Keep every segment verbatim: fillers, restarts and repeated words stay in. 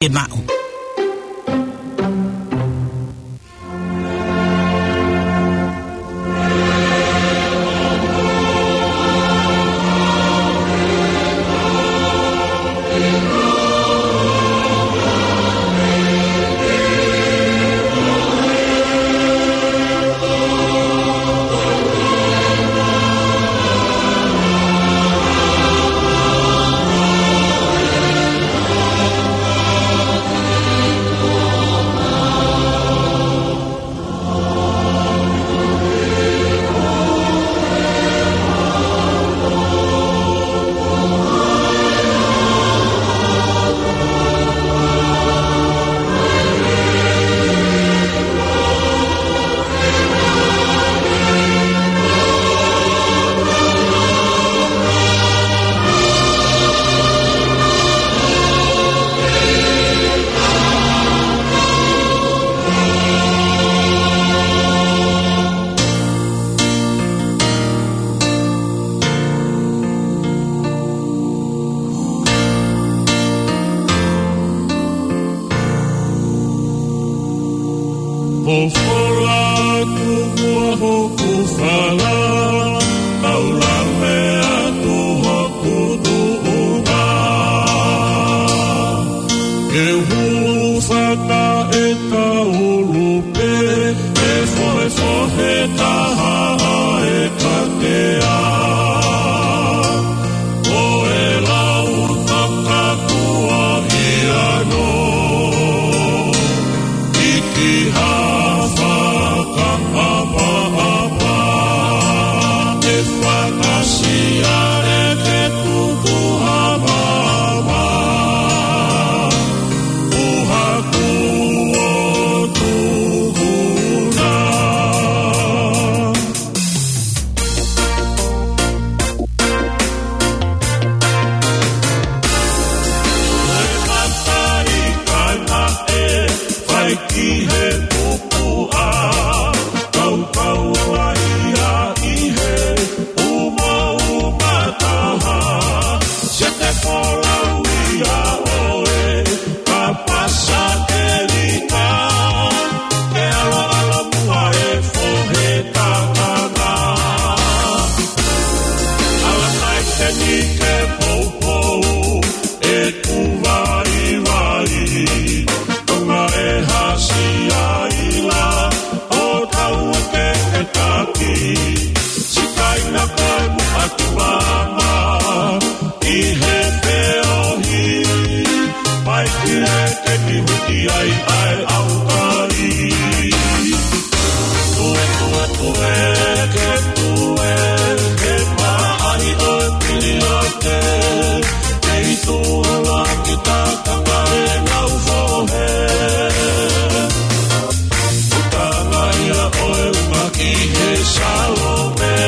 ke maʻu. Pofola atu muʻa hoku fala, kau lave atu hoku tuʻunga. Ke u hūfanga ʻi he taulu pē, ʻe fohefohe taha ʻa e katea. Ko e lau fakatuʻa ia no, ʻi he kiʻi fakaʻapaʻapa, ʻe fakasia e ke tuku ha mama, ʻuha kuo tuku na. Ko e kakai kaina ʻe fai ki he pupuʻa, kaukau ai ia ʻi he umauma taha, sete folau ia ʻoe, ka pasa ke lika, ke ʻaloʻalo muʻa e fohe kakana. Ala kai te ni ke poupou e ku vaivai, Tonga e hasi ai la, ʻo tau ke ke taki, sikaina koe muʻa ki mama, ʻi he feohi, pai ki he ke ki huti ai ʻa e ʻaukai. Tue, tue, tue, ke tue, ke maʻahi ʻo e pili ake, ke itu ala ki takanga e ngau fohe. Utanga ia ʻo e uma ki he Salome.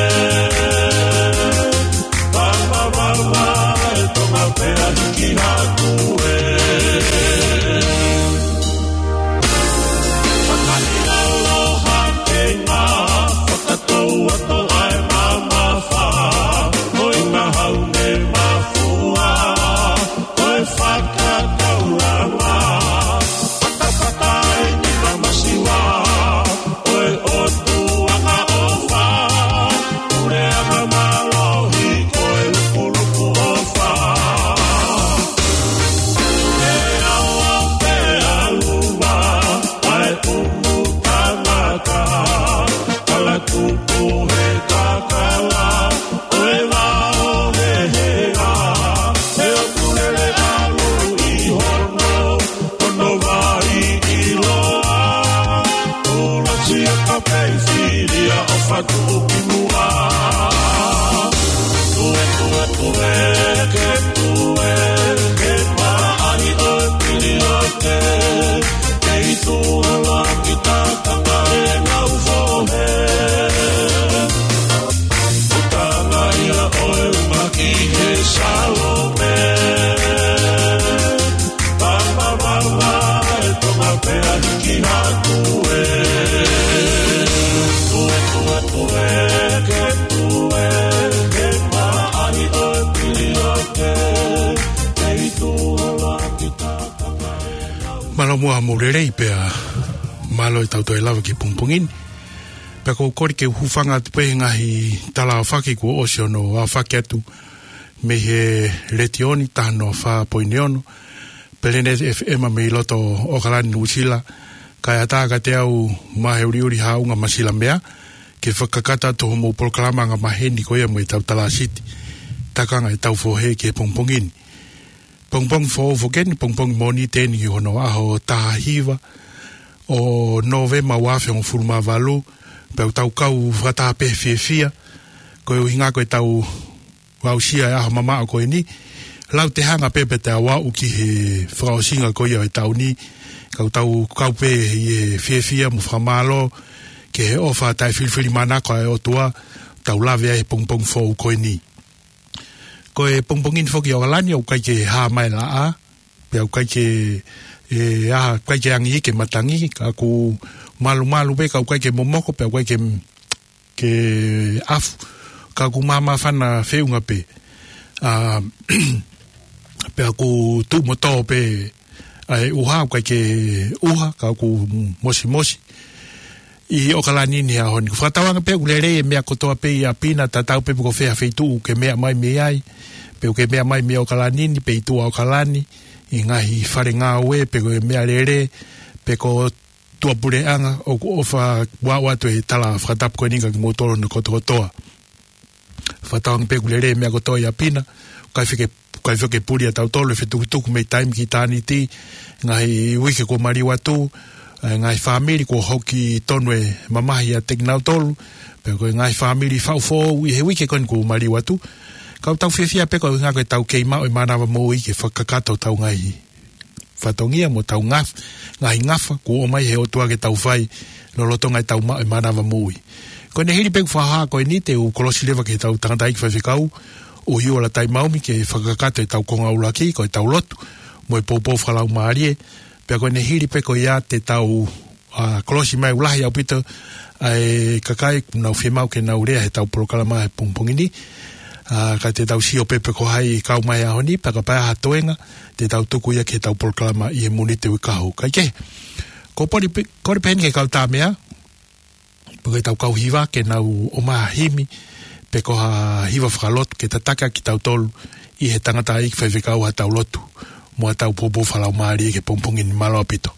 Vavavava e Tonga pea hiki hake ē. Fakaʻiloa ke ngā fakatou atu Mālō muʻa mo e lelei pea mālō e tau toe lava ki he pongipongi ni. Pea ʻoku ou kole ke u hūfanga atu pē he ngaahi tala aofaki kuo ʻosi hono aofaki atu mei he letiō ni, taha noa fā poini ono, Peleneeti F M mei loto ʻAokalani, Nuʻusila, kae ʻatā kiate au Maheʻuliʻuli Haʻunga Masilamea, ke fakakakato atu hoʻomou polokalama angamaheni ko ia mo e tau talāsiti, Takanga ʻEtau Fohe ki he pongipongi ni. Pongipongi foʻou foki eni, pongipongi Mōnite eni ki hono ʻaho taha hiva ʻo Nōvema ua afe hongofulu mā valu, pea ʻoku tau kau fakataha pē he fiefia, koeʻuhi ko e tau aʻusia e ʻaho mamaʻo ko eni. Lau te hanga pē pea te aʻu ki he fakaʻosinga ko ia ʻo e taʻu ni, ka ʻoku tau kau pē ʻi he fiefia mo fakamālō ki he ʻofa taʻefilifilimānako ʻa e ʻOtua, tau lave ai he pongipongi foʻou ko eni. Ko e pongipongi ni foki ʻi ʻAokalani, ʻoku ʻikai ke hā mai e laʻā, pea ʻoku ʻikai ke, ʻe, ʻa, ʻikai ke angi ke matangi, ka ʻoku malumalu pē, ka ʻoku ʻikai ke momoko, pea ʻoku ʻikai ke, ke ʻafu, ka ʻoku māmāfana feʻunga pē. ʻA, pea ʻoku tuʻu mo tō pē ʻa e ʻuha, ʻoku ʻikai ke ʻuha, ka ʻoku mosimosi ʻi ʻAokalani ni he ʻaho ni. Fakatauange pē ʻoku lelei e meʻa kotoa pē ʻi ʻapi na, tatau pē pe ko fē ha feituʻu ʻoku ke meʻa mai mei ai, pe ʻoku ke meʻa mai mei ʻAokalani ni, pe ʻi tuʻa ʻAokalani, ʻi he ngaahi fale ngāue, pe ko e meʻalele, pe ko tuʻapuleʻanga, ʻoku ou fakaʻoatu e tala fakatapu ko eni kiate kimoutolu hono kotokotoa. Fakatauange pē ʻoku lelei e meʻa kotoa ʻi ʻapi na, ʻikai fie ke, ʻikai fie ke puli ʻa tautolu e fetukutuku mei taimi ki ʻitāniti, ngaahi uike kuo maliu atu, e ngaahi fāmili kuo hoki tonu e mamahi ʻiate kinautolu, pea ko e ngaahi fāmili faʻu foʻou ʻi he uike ko eni kuo maliu atu. Ka ʻoku tau fiefia pē koeʻuhi ko e tau kei maʻu e mānava moʻui ke fakakakato hotau ngaahi fatongia mo hotau ngaf-, ngaahi ngafa kuo ʻomai he ʻOtua ke tau fai lolotonga e tau maʻu e mānava moʻui. Ko ʻene hili pē ʻeku fakahā ko eni te u kolosi leva ki he tau tangataʻeiki faifekau, ʻUhi Ola Taimaomi, ke fakakakato e tau konga ʻuluaki, ko e tau lotu mo e poupou fakalaumālie. Pea ko ʻene hili pē ko ia te tau, ʻa, kolosi mai, ʻoku lahi ʻaupito ʻa e kakai ʻoku nau fiemaʻu ke nau lea he tau polokalama he pongipongi ni. ʻA, ka te tau sio pē pe ko hai kau mai he ʻaho ni, pea kapau ʻe ʻi ai ha toenga, te tau tuku ia ki he tau polokalama ʻi he Mōnite uike kahaʻu. Kae kehe, ʻoku ou poli pe-, kole pē heni ki he kau tāmeʻa, pe ko e tau kau hiva ke nau ʻomai ha himi, pe ko ha hiva fakalotu ke tataki ʻaki kitautolu ʻi he tangataʻeiki faifekau ha tau lotu mo ha tau poupou fakalaumālie ki he pongipongi ni. Mālō ʻaupito.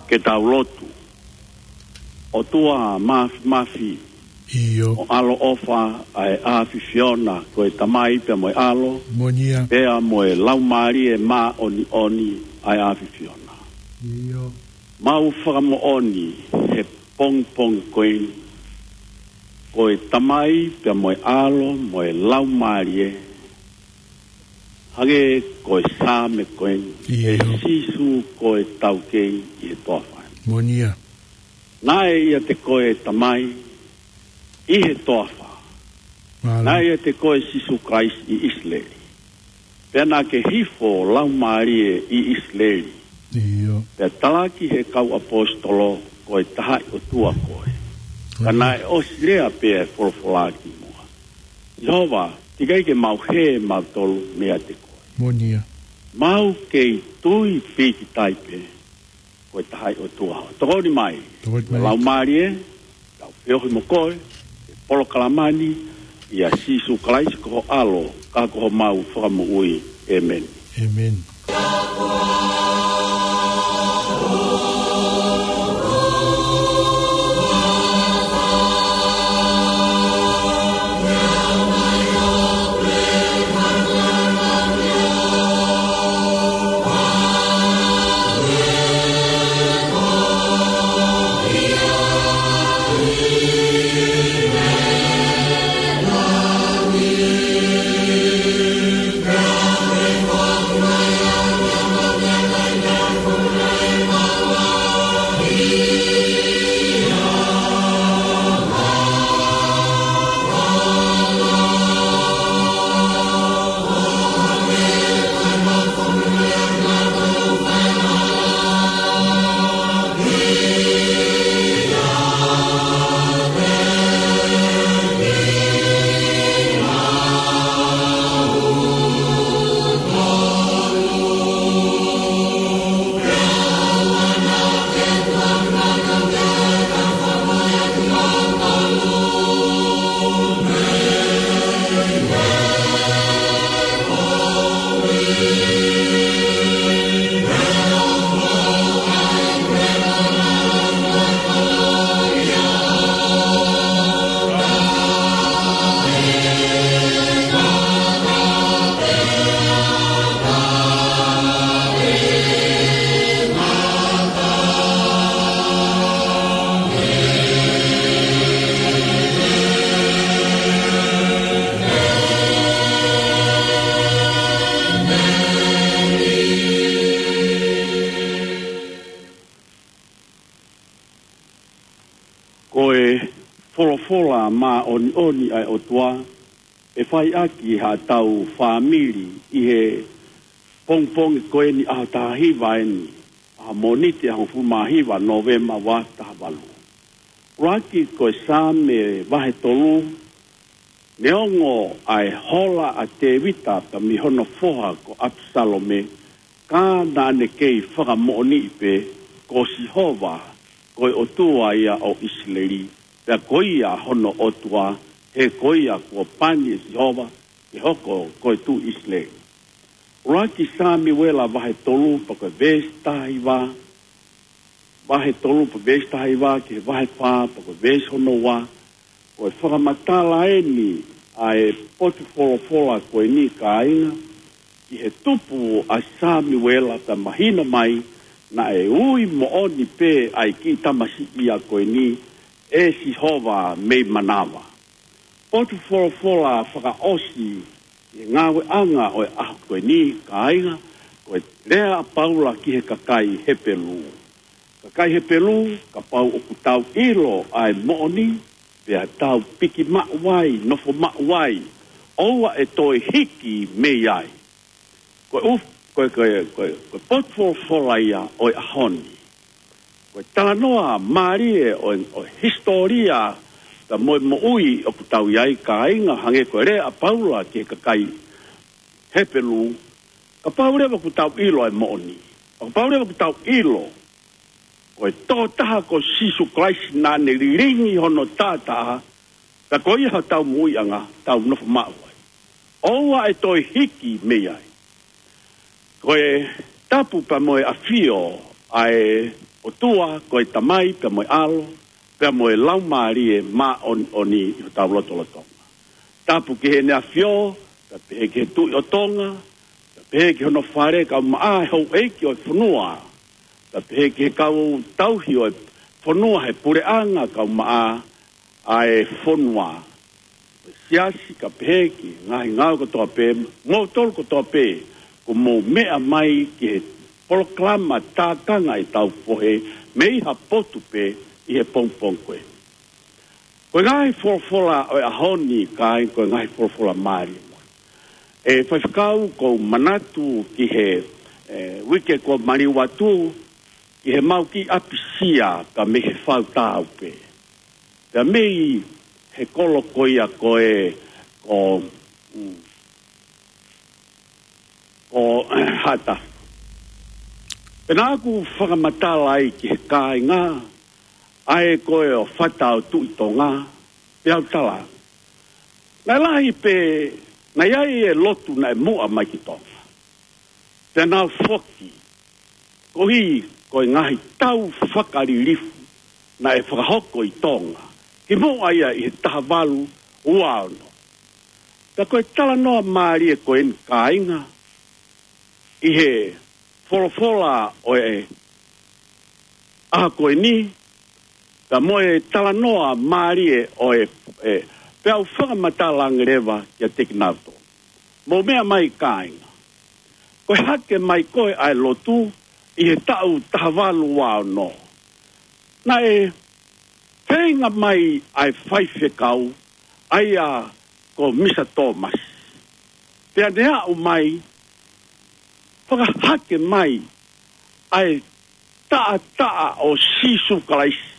Ke tau lotu. ʻOtua Māfimafi, ʻIo. Mo ʻaloʻofa ʻa e ʻAfiona, ko e Tamai pea mo e ʻAlo. Moʻoni ia. Pea mo e Laumālie Māʻoniʻoni ʻa e ʻAfiona. ʻIo. Mau fakamoʻoni he pongipongi ko eni, ko e Tamai pea mo e ʻAlo mo e Laumālie, hangē ko e Saame ko eni, ʻio, ʻe Sīsū ko e taukei ʻi he toafa. Moʻoni ia. Naʻe ʻiate koe Tamai ʻi he toafa. Mālō. Naʻe ʻiate koe Sīsū Kalaisi ʻi ʻIsileli. Pea naʻa ke hifo Laumālie ʻi ʻIsileli. ʻIo. Pea talaki he kau ʻaposetolo ko e Tahaʻi ʻOtua koe. Ka, ʻio, naʻe ʻosi lea pē ʻa e folofola ki muʻa. Sihova, teʻeki ai ke mau hē mautolu meiate koe. Moʻoni ia. Mau kei tui pīkitai pē ko e Tahaʻi ʻOtua. Tokoni mai. Tokoni mai. Laumālie, tau feohi mo koe he polokalama ni, ʻia Sīsū Kalaisi ko ho ʻAlo, ka ko homau Fakamoʻui. ʻĒmeni. ʻĒmeni. Ko e folofola māʻoniʻoni ʻa e ʻOtua ʻe fai ʻaki haʻatau fāmili ʻi he pongipongi ko eni, ʻaho taha hiva eni, ʻaho Mōnite, ʻaho hongofulu mā hiva Nōvema ua taha valu. ʻUluaki ko e Saame vahe tolu, neongo ʻa e hola ʻa Tēvita pea mei hono foha ko ʻApisalome, ka naʻa ne kei fakamoʻoniʻi pē ko Sihova ko e ʻOtua ia ʻo ʻIsileli, pea ko ia hono ʻOtua, he ko ia kuo pani ʻe Sihova ke hoko ko e tuʻi ʻIsileli. ʻUluaki Sāmiuela vahe tolu pea ko e veesi taha hiva, vahe tolu pea veesi taha hiva ki he vahe fā pea ko e veesi hono ua, ko e fakamatala eni ʻa e potu folofola ko eni, kāinga, ki he tupu ʻa Sāmiuela, pea mahino mai naʻe ui moʻoni pē ʻa e kiʻi tamasiʻi ia ko eni ʻe Sihova mei manava. Potu folofola fakaʻosi ʻi he ngāueʻanga ʻo e ʻaho ko eni, kāinga, ko e lea ʻa Paula ki he kakai Hepelū. Kakai Hepelū, kapau ʻoku tau ʻilo ʻa e moʻoni, pea tau piki maʻu ai, nofo maʻu ai, ʻoua ʻe toe hiki mei ai. Ko e ʻu-, ko e, ko e, ko e, ko e potu folofola ia ʻo e ʻaho ni. Ko e talanoa mālie ʻo e, ʻo e hisitōlia pea mo e moʻui ʻoku tau ʻi ai, kāinga, hangē ko e lea ʻa Paula ki he kakai Hepelū, kapau leva ʻoku tau ʻilo ʻa e moʻoni, kapau leva ʻoku tau ʻilo ko e tokotaha ko Sīsū Kalaisi naʻa ne lilingi hono taʻataʻa, ka ko ia hotau moʻuiʻanga, tau nofo maʻu ai. ʻOua ʻe toe hiki mei ai. Ko e tapu pea mo e ʻafio ʻa e ʻOtua, ko e Tamai pea mo e ʻAlo, pea mo e Laumālie Māʻoniʻoni ʻi hotau lotolotonga. Tapu ki heʻene ʻAfio, pea pehē ki he Tuʻi ʻo Tonga, pea pehē ki hono fale, kae ʻumaʻā e houʻeiki ʻo e fonua, pea pehē ki he kau tauhi ʻo e fonua he puleʻanga, kae ʻumaʻā ʻa e fonua. Siasi, kae pehē ki he ngaahi ngāue kotoa pē, moutolu kotoa pē kuo mou meʻa mai ki he polokalama tākanga ʻi he tau fohe mei ha potu pē ʻi he pongipongi ko ē. Ko e ngaahi folofola ʻo e ʻaho ni, kāinga, ko e ngaahi folofola mālie. ʻE Faifekau, ʻoku ou manatu ki he, ʻe, uike kuo maliu atu, ki he mau kiʻi ʻapisia ka mei he Fautaupe. Pea mei he kolo ko ia ko ē, ko, mm, ko Haʻatafu. Pea naʻá ku fakamatala ai ki he kāinga, ʻa e ko e ʻo fata ʻo Tuʻi Tonga, pea u tala. Naʻe lahi pē, naʻe ʻi ai e lotu naʻe muʻa mai ki Tonga. Pea nau foki, koeʻuhi ko e ngaahi tau fakalilifu naʻe fakahoko ʻi Tonga, kimuʻa ia ʻi he taha valu ua ono. Pea ko e talanoa mālie ko eni, kāinga, ʻi he folofola ʻo e ʻaho ko eni, pea mo e talanoa mālie ʻo e, ʻe, pea u fakamatala ange leva kiate kinautolu. Mou meʻa mai, kāinga. Ko e hake mai ko ē ʻa e lotu ʻi he taʻu taha valu ua ono, naʻe feinga mai ʻa e faifekau, ʻa ia ko Misa Tōmasi. Pea ne aʻu mai, fakahake mai ʻa e taʻataʻa ʻo Sīsū Kalaisi,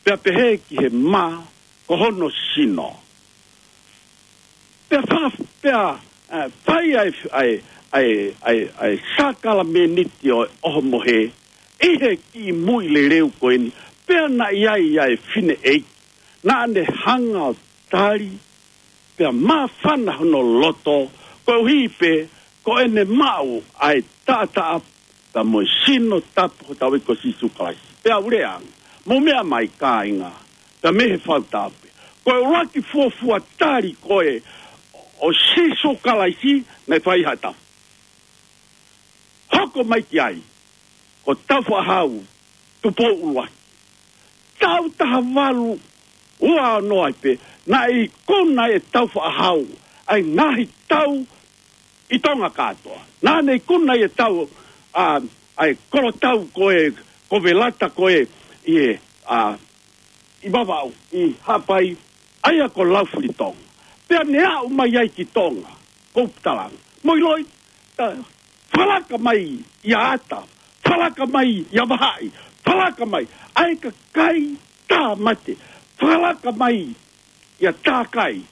pea pehē ki he mā ko hono sino. Pea fa-, pea, ʻe, fai ʻa e, ʻa e, ʻa e, ʻa e, ʻa e sākalameniti ʻo, ʻo e ʻohomohe, ʻi he kiʻi muimui leleu ko eni, pea naʻe ʻi ai ʻa e fineʻeiki, naʻá ne hanga ʻo tali, pea māfana hono loto, koeʻuhi pē ko ʻene maʻu ʻa e taʻataʻa, pea mo e sino tapu hotau ʻEiki ko Sīsū Kalaisi. Pea u lea ange, mou meʻa mai, kāinga, pea mei he Fautaupe. Ko e ʻuluaki fuofua tali ko ē ʻo Sīsū Kalaisi naʻe fai ʻi Haʻatafu. Hoko mai ki ai, ko Taufaʻāhau Tupou ʻUluaki. Taʻu taha valu ua ono ai pē, naʻe ikuna ʻe Taufaʻāhau ʻa e ngaahi tau ʻi Tonga kātoa. Naʻá ne ikuna ʻa e tau, ʻa, ʻa e kolotau ko ē, ko Velata ko ē, ʻi he, ʻa, ʻi Vavaʻu, ʻi Haʻapai, ʻa ia ko Laufilitonga. Pea ne aʻu mai ai ki Tonga, ko Uputalangi. Mou ʻiloʻi, ta, fakalaka mai ʻia Ata, fakalaka mai ʻia Vahaʻi, fakalaka mai ʻa e kakai Tāmate, fakalaka mai ʻia Takai,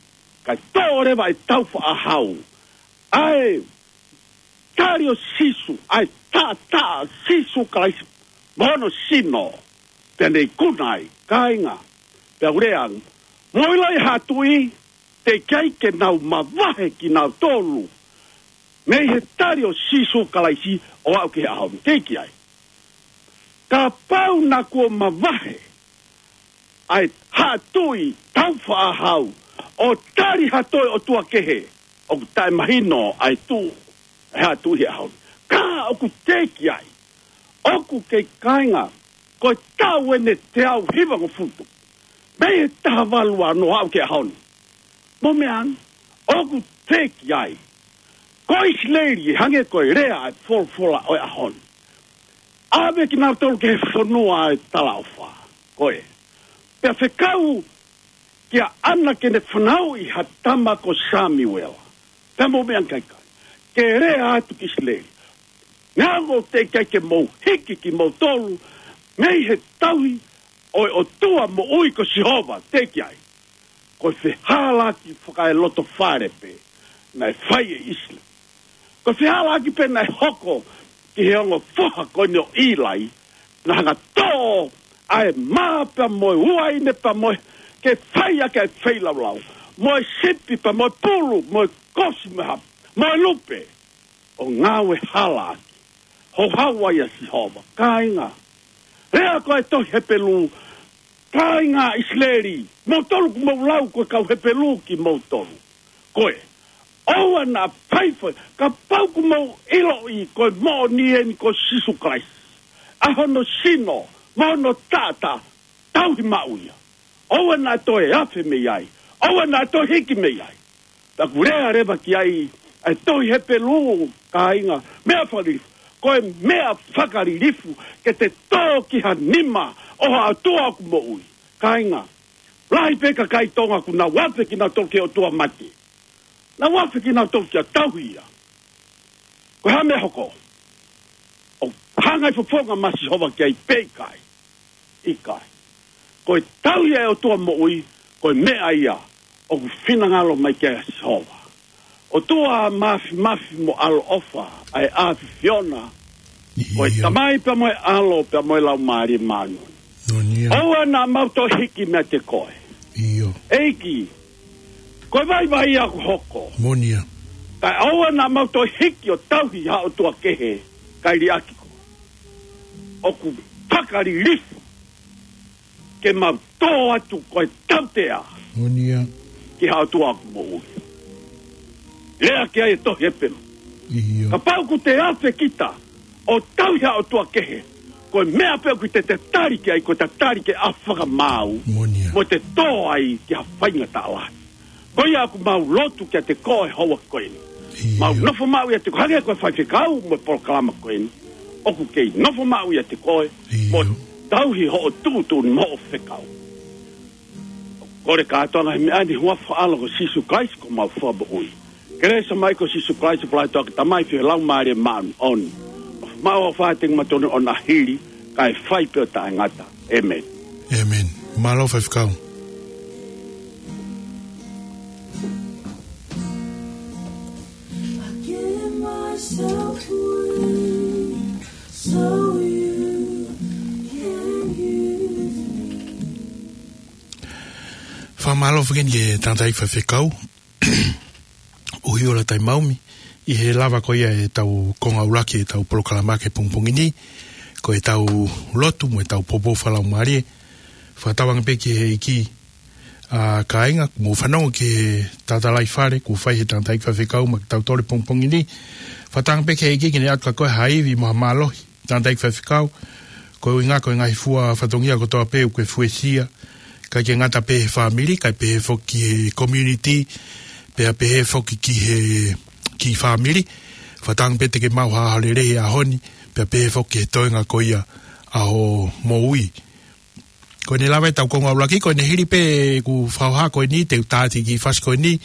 kae toʻo leva ʻe Taufaʻāhau ʻa e tali ʻo Sīsū, ʻa e taʻataʻa ʻo Sīsū Kalaisi mo hono sino, pea ne ikuna ai, kāinga. Pea u lea ange, mou ʻiloʻi, Haʻa Tuʻi, teʻeki ai ke nau mavahe kinautolu mei he tali ʻo Sīsū Kalaisi ʻo aʻu ki he ʻaho ni. Teʻeki ai. Kapau naʻa kuo mavahe ʻa e Haʻa Tuʻi Taufaʻāhau ʻo tali ha toe ʻotua kehe, ʻoku taʻemahino ʻa e tuʻu ʻa e Haʻa Tuʻi he ʻaho ni. Ka ʻoku teʻeki ai. ʻOku kei, kāinga, ko e taʻu eni ʻe teau hivangofulu mei he taha valu ua ono ʻo aʻu ki he ʻaho ni. Mou meʻa ange, ʻoku teʻeki ai. Ko ʻIsileli, ʻe hangē ko e lea ʻa e folofola ʻo e ʻaho ni, ʻave kinautolu ki he fonua ʻo e talaʻofa ko ē. Pea fekau kia ʻAna ke ne fanauʻi ha tama ko Samiuela. Pea mou meʻa ange, kāinga, ke lea atu ki ʻIsileli, neongo ʻoku teʻeki ai ke mou hiki kimoutolu mei he tauhi ʻo e ʻOtua moʻui ko Sihova, teʻeki ai. Ko e fehālaaki fakaelotofale pē naʻe fai ʻe ʻIsileli. Ko e fehālaaki pē naʻe hoko ki he ongo foha ko eni ʻo ʻĪlai, naʻa hanga ʻo toʻo ʻa e mā pea mo e uaine pea mo e, ke fai ʻaki ʻa e feilaulau, mo e sipi pea mo e pulu, mo e kosi mo e hapa, mo e lupe, ʻo ngāue halaaki. Houhau ai ʻa Sihova, kāinga. Lea ko ē ʻa e tohi Hepelū, Kāinga ʻIsileli, moutolu ʻoku mou lau ko e kau Hepelū kimoutolu. Ko e, ʻoua naʻa faifai, kapau ʻoku mou ʻiloʻi ko e moʻoni eni ko Sīsū Kalaisi, ʻa hono sino, mo hono taʻataʻa, tauhi maʻu ia. ʻOua naʻa toe afe mei ai, ʻoua naʻa toe hiki mei ai. Pea ʻoku lea leva ki ai ʻa e tohi Hepelū, kāinga, meʻa fakalilifu. Ko e meʻa fakalilifu ke te tō ki ha nima ʻo ha ʻOtua ʻoku moʻui. Kāinga, lahi pē kakai Tonga ʻoku nau afe kinautolu ki he ʻotua mate. Nau afe kinautolu kia tauhi ia. Ko e hā e meʻa ʻe hoko? ʻO hanga ʻe he fofonga ʻo Sihova ki ai pe ʻikai? ʻIkai. Ko e tauhi ʻa e ʻOtua moʻui, ko e meʻa ia ʻoku finangalo mai ki ai ʻa Sihova. ʻOtua mafimafi mo ʻaloʻofa, ʻa e ʻAfiona. Ko e Tamai pea mo e ʻAlo pea mo e Laumālie Māʻoniʻoni. ʻOua naʻa mau toe hiki meiate koe. ʻEiki, ko e vaivai ia ʻoku hoko. Kae ʻoua naʻa mau toe hiki ʻo tauhi ha ʻotua kehe kae liʻaki koe. ʻOku fakalilifu ke mau tō atu ko e tautea ki ha ʻOtua ʻoku moʻui. Lea ki ai e tohi Hepelū. Kapau ʻoku te afe kita ʻo tauhi ha ʻotua kehe, ko e meʻa pē ʻoku te tatali ki ai, ko e tatali ki he ʻaho fakamaau, mo te tō ai ki ha faingataʻa lahi. Ko ia ʻoku mau lotu kiate koe he houa ko eni. Mau nofo maʻu ʻiate koe, hangē ko e faifekau mo e polokalama ko eni. ʻOku kei nofo maʻu ʻiate koe, mo tauhi hoʻo tuʻutuʻuni mo hoʻo fekau. Kole kātoanga he meʻa ni, huafa ʻo e ʻAlo ko Sīsū Kalaisi ko homau Fakamoʻui. Kelesi ʻa e ʻOtua ko Sīsū Kalaisi, ʻofa lahi ʻa e Tamai, feohi ʻa e Laumālie Māʻoniʻoni, ʻofa maʻu ʻofa ʻa e Tamai Māʻoniʻoni ʻo na hili, kae fai pē ʻo taʻengata. ʻĒmeni. ʻĒmeni. Mālō faifekau. I give myself away so you can use me. Fakamālō foki ki he tangataʻeiki faifekau. ʻUhi ʻo Lātai Maumi, ʻi he lava ko ia ʻetau konga ʻuluaki ʻetau polokalama ki he pongipongi ni, ko ʻetau lotu mo ʻetau poupou fakalaumālie. Fakatauange pē ki he ʻEiki, ʻa kāinga, mou fanongo ki he tatalaifale kuo fai he tangataʻeiki faifekau maʻa kitautolu he pongipongi ni. Fakatauange pē ki he ʻEiki ke ne ʻatu kia koe ha ivi mo ha mālohi. Tangataʻeiki faifekau, ko e ʻuhinga ko e ngaahi fua fatongia kotoa pē ʻoku ke fuesia, ʻikai ke ngata pē he fāmili, kae pehē foki ki he community, pea pehē foki ki he, ki he fāmili. Fakatauange pē te ke maʻu ha ʻaho lelei he ʻaho ni, pea pehē foki ki he toenga ko ia ʻa hoʻo moʻui. Ko ʻene lava ʻetau konga ʻuluaki, ko ʻene hili pē ʻeku fakahā ko eni, te u tā atu e kiʻi fasi ko eni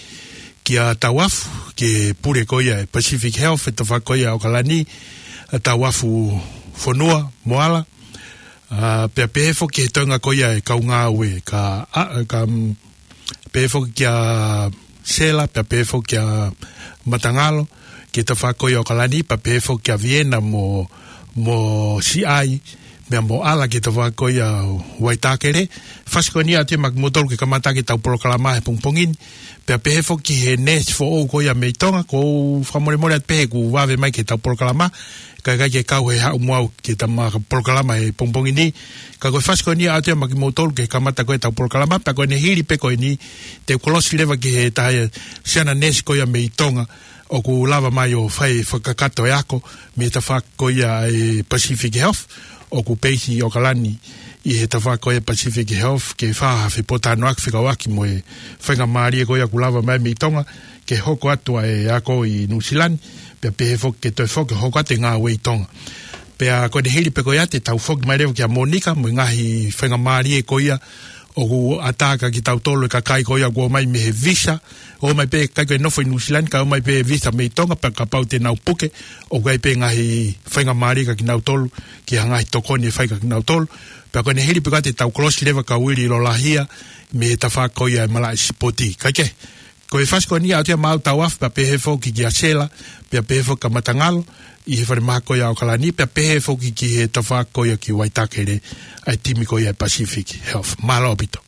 kia Tauafu, ki he pule ko ia ʻa e Pacific Health he tafaʻaki ko ia ʻo ʻAokalani, ʻa Tauafu Fonua Moala, ʻa, pea pehē foki ki he toenga ko ia e kau ngāue, ka, ʻa, ka, mm, pehē foki kia Sela, pea pehē foki kia Matangalo, ki he tafaʻaki ko ia ʻo ʻAokalani, pea pehē foki kia Viena mo, mo Siʻai, meʻa mo ʻAla ki he tafaʻaki ko ia ʻo Waitākele. Fasi ko eni ʻoatu ia maʻa kimoutolu ke kamata ʻaki ʻetau polokalama he pongipongi ni. Pea pehē foki ki he neesi foʻou ko ia mei Tonga, ʻoku ou fakamolemole atu pē he kuo vave mai ki heʻetau polokalama, kae ʻikai ke kau he haʻu mo au ki heʻetau polokalama he pongipongi ni. Ka ko e fasi ko eni ʻoatu ia maʻa kimoutolu ke kamata ko ē ʻetau polokalama, pea ko ʻene hili pē ko eni, te u kolosi leva ki he taha e siana neesi ko ia mei Tonga, ʻoku lava mai ʻo fai fakakakato e ako mei he tafaʻaki ko ia e Pacific Health, ʻoku peisi ʻi ʻAokalani ʻi he tafaʻaki ko ia e Pacific Health, ke fai ha fepōtalanoaʻaki fekauʻaki mo e faingamālie ko ia ʻoku lava mai mei Tonga, ke hoko atu ʻa e ako ʻi Nuʻusila ni, pea pehē foki ke toe foki hoko atu e ngāue ʻi Tonga. Pea ko ʻene hili pē ko ia te tau foki mai leva kia Monica, mo e ngaahi faingamālie ko ia ʻoku ʻatā kia kitautolu e kakai ko ia ʻoku ō mai mei he visa, ō mai pē ʻikai ko e nofo ʻi Nuʻusila ni, kae ō mai pē visa mei Tonga, pea kapau te nau puke, ʻoku ʻi ai pē ngaahi faingamālie kia kinautolu, ki ha ngaahi tokoni ʻe fai kia kinautolu. Pea ko ʻene hili pē ko ia te tau kolosi leva kia Uili Lolahia, mei he tafaʻaki ko ia e malaʻe sipoti. Kae kehe, ko e fasi ko eni ʻoatu ia maʻa Tauafu, pea pehē foki kia Sela, pea pehē foki kia Matangalo, ʻi he falemaha ko ia ʻo ʻAokalani, pea pehē foki ki he tafaʻaki ko ia ki Waitākele, ʻa e timi ko ia e Pacific Health. Mālō ʻaupito.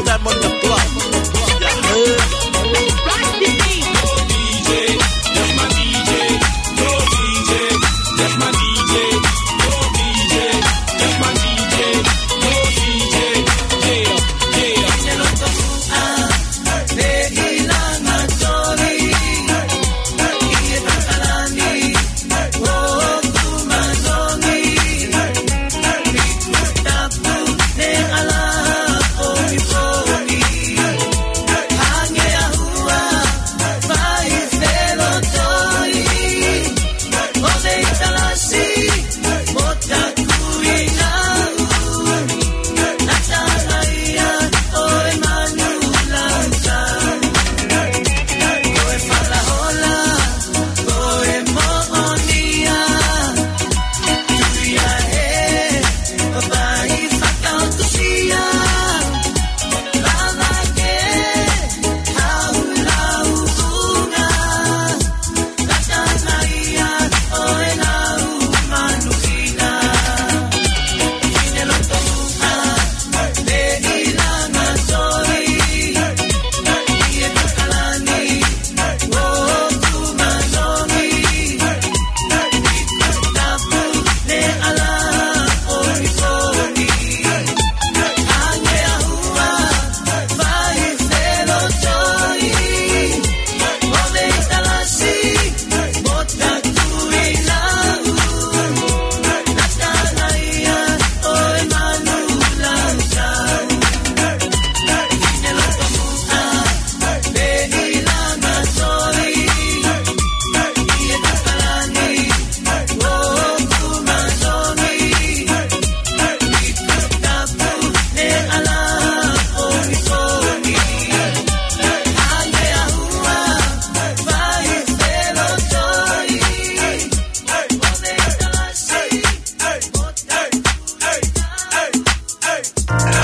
Diamond Club. Yeah.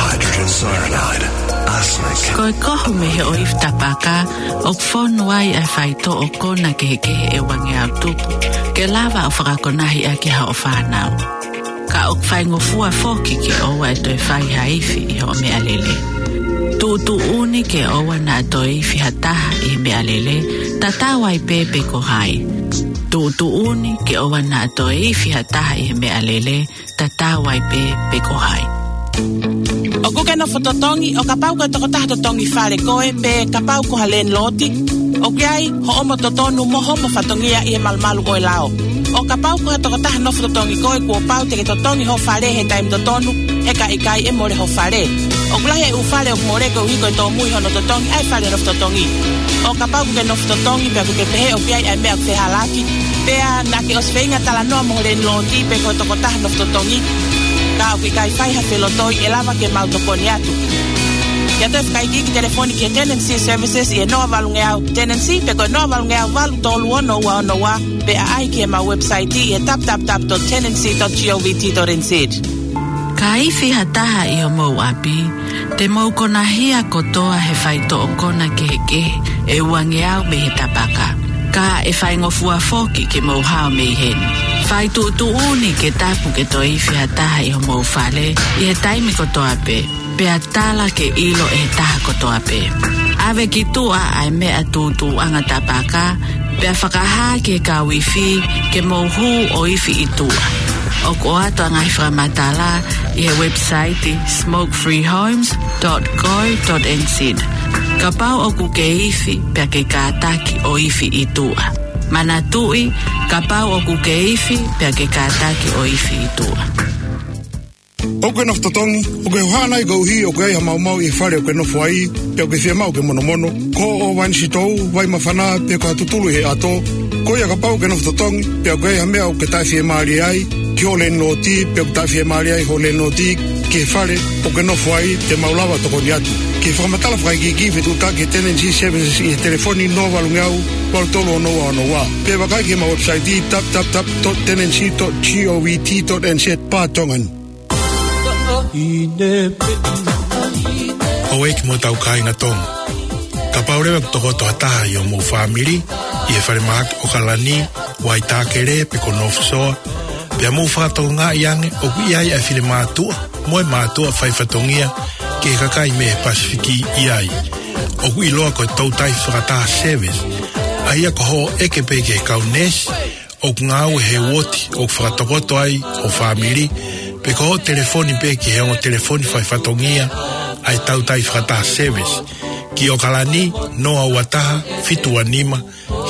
Hydrogen cyanide, arsenic. Ko e kohu mei he ʻoifi tapaka, ʻoku fonu ai ʻa e faitoʻo kona kehekehe ʻe uangeau tupu, ke lava ʻo fakakonahi ʻaki hoʻo fānau. Ka ʻoku faingofua foki ke ʻoua ʻe toe fai ha ifi ʻi hoʻo meʻalele. Tuʻutuʻuni ke ʻoua naʻa toe ifi ha taha ʻi he meʻalele, tatau ai pē pe ko hai. Tuʻutuʻuni ke ʻoua naʻa toe ifi ha taha ʻi he meʻalele, tatau ai pē pe ko hai. ʻOkú ke nofo totongi, ʻo kapau ko e tokotaha totongi fale koe, pe kapau ko ha landlord, ʻoku ʻi ai hoʻomo totonu mo hoʻomo fatongia ʻi he malumalu ʻo e lao. ʻO kapau ko ha tokotaha nofo totongi koe, kuo pau te ke totongi ho fale he taimi totonu, he ka ʻikai ʻe mole ho fale. ʻOku lahi e ʻū fale ʻoku mole koeʻuhi ko e tōmui hono totongi ʻa e fale nofo totongi. ʻO kapau ʻokú ke nofo totongi pea ʻokú ke pehē ʻoku ʻi ai ʻa e meʻa ʻoku fehālaaki, pea naʻá ke ʻosi feinga talanoa mo ho landlord pe ko e tokotaha nofo totongi, ka ʻoku ʻikai fai ha felotoi, ʻe lava ke mau tokoni atu. Ke ʻoatu e fakaikiiki, telefoni ki he Tenancy Services ʻi he noa valungeau tenancy, pe ko e noa valungeau valu tolu ono ua ono ua, pe ʻaʻahi ki heʻemau website ʻi he w w w dot tenancy dot govt dot n z. Ka ifi ha taha ʻi homou ʻapi, te mou konahia kotoa he faitoʻo kona kehekehe ʻe uangeau mei he tapaka. Ka ʻe faingofua foki ke mou hao mei heni. Fai tuʻutuʻuni ke tapu ke toe ifi ha taha ʻi homou fale ʻi he taimi kotoa pē, pea tala ke ʻilo ʻe he taha kotoa pē. ʻAve ki tuʻa ʻa e meʻa tūtūʻanga tapaka, pea fakahā ki he kau ifi ke mou hū ʻo ifi ʻi tuʻa. ʻOku ʻoatu ʻa e ngaahi fakamatala ʻi he website smoke free homes dot co dot n z. Kapau ʻokú ke ifi, pea ke kātaki ʻo ifi ʻi tuʻa. Manatuʻi, kapau ʻokú ke ifi, pea ke kātaki ʻo ifi ʻi tuʻa. ʻOkú ke nofo totongi, ʻokú ke hohaʻa nai koeʻuhi ʻoku ʻi ai ha maumau ʻi he fale ʻokú ke nofo ai, pe ʻokú ke fiemaʻu ke monomono, ko hoʻo vai nisitou, vai māfana, pe ko ha tutulu ʻi he ʻato? Ko ia, kapau ʻokú ke nofo totongi, pe ʻokú ʻi ai ha meʻa ʻokú ke taʻefiemālie ai ki ho landlord, pe ʻoku taʻefiemālie ai ho landlord ki he fale ʻokú ke nofo ai, te mau lava ʻo tokoni atu. Ke fakamatala fakaikiiki, fetuʻutaki he Tenancy Services ʻi he telefoni noa valungeau valu tolu ono ua ono ua. Pe vakai ki heʻemau website, w w w dot tenancy dot govt dot n z barra Tongan. Houʻeiki mo hotau kāinga Tonga. Kapau leva ʻoku tokoto ha taha ʻi homou fāmili, ʻi he falemahaki ʻOkalani, Waitākele, pe ko North Shore, pea mou fakatokangaʻi ange ʻoku ʻi ai ʻa e finemātuʻa mo e mātuʻa faifatongia ki he kakai mei he Pasifiki ʻi ai. ʻOku ʻiloa ko e Toutai Fakataha Service, ʻa ia ko hoʻo ʻeke pē ki he kau neesi ʻoku ngāue he uooti ʻoku fakatokoto ai ho fāmili, pe ko hoʻo telefoni pē ki he ongo telefoni faifatongia ʻa e Toutai Fakataha Service, ki ʻOkalani, noa ua taha fitu ua nima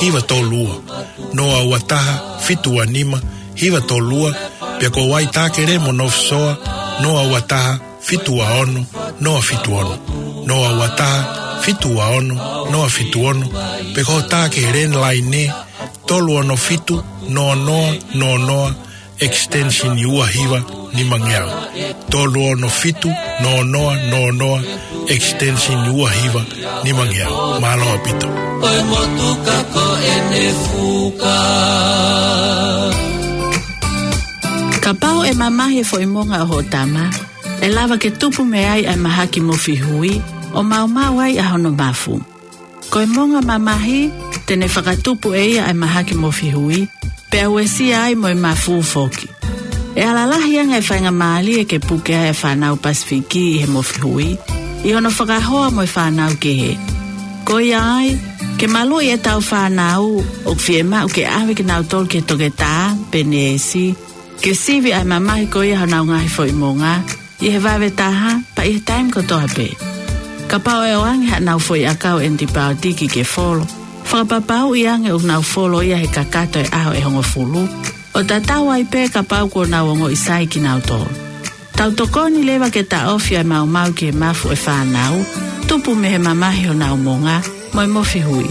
hiva tolu ua, noa ua taha fitu ua nima hiva tolu ua, pea ko Waitākere mo North Shore, noa ua taha fitu ua ono noa fitu ono, noa ua taha fitu ua ono noa fitu ono, pe ko hoʻo tā ki he landline tolu ono fitu noa noa noa noa, extension ua hiva nimangeau. Tolu ono fitu noa noa noa noa, extension ua hiva nimangeau. Mālō ʻaupito. Ko e motuka ko ʻene fuka. Kapau ʻe mamahi e foʻi monga ʻo hoʻo tama, ʻe lava ke tupu mei ai ʻa e mahaki mofi hui, ʻo maumau ai ʻa hono mafu. Ko e monga mamahi, te ne fakatupu ʻe ia ʻa e mahaki mofi hui, pea uesia ai mo e mafu foki. ʻE ala lahi ange e faingamālie ke puke ai e fānau Pasifiki ʻi he mofi hui, ʻi hono fakahoa mo e fānau kehe. Ko ia ai, ke maluʻi ʻetau fānau, ʻoku fiemaʻu ke ʻave kinautolu ki he toketā pe neesi, ke sivi ʻa e mamahi ko ia honau ngaahi foʻi monga, ʻi he vave taha, pea ʻi he taimi kotoa pē. Kapau ʻe ʻoange haʻanau foʻi ʻakau ʻenitipaotiki ke folo, fakapapauʻi ange ʻoku nau folo ia he kakato e ʻaho ʻe hongofulu, ʻo tatau ai pē kapau kuo nau ongoʻi sai kinautolu. Tau tokoni leva ke taʻofi ʻa e maumau ki he mafu ʻo e fānau, tupu mei he mamahi honau monga, mo e mofi hui.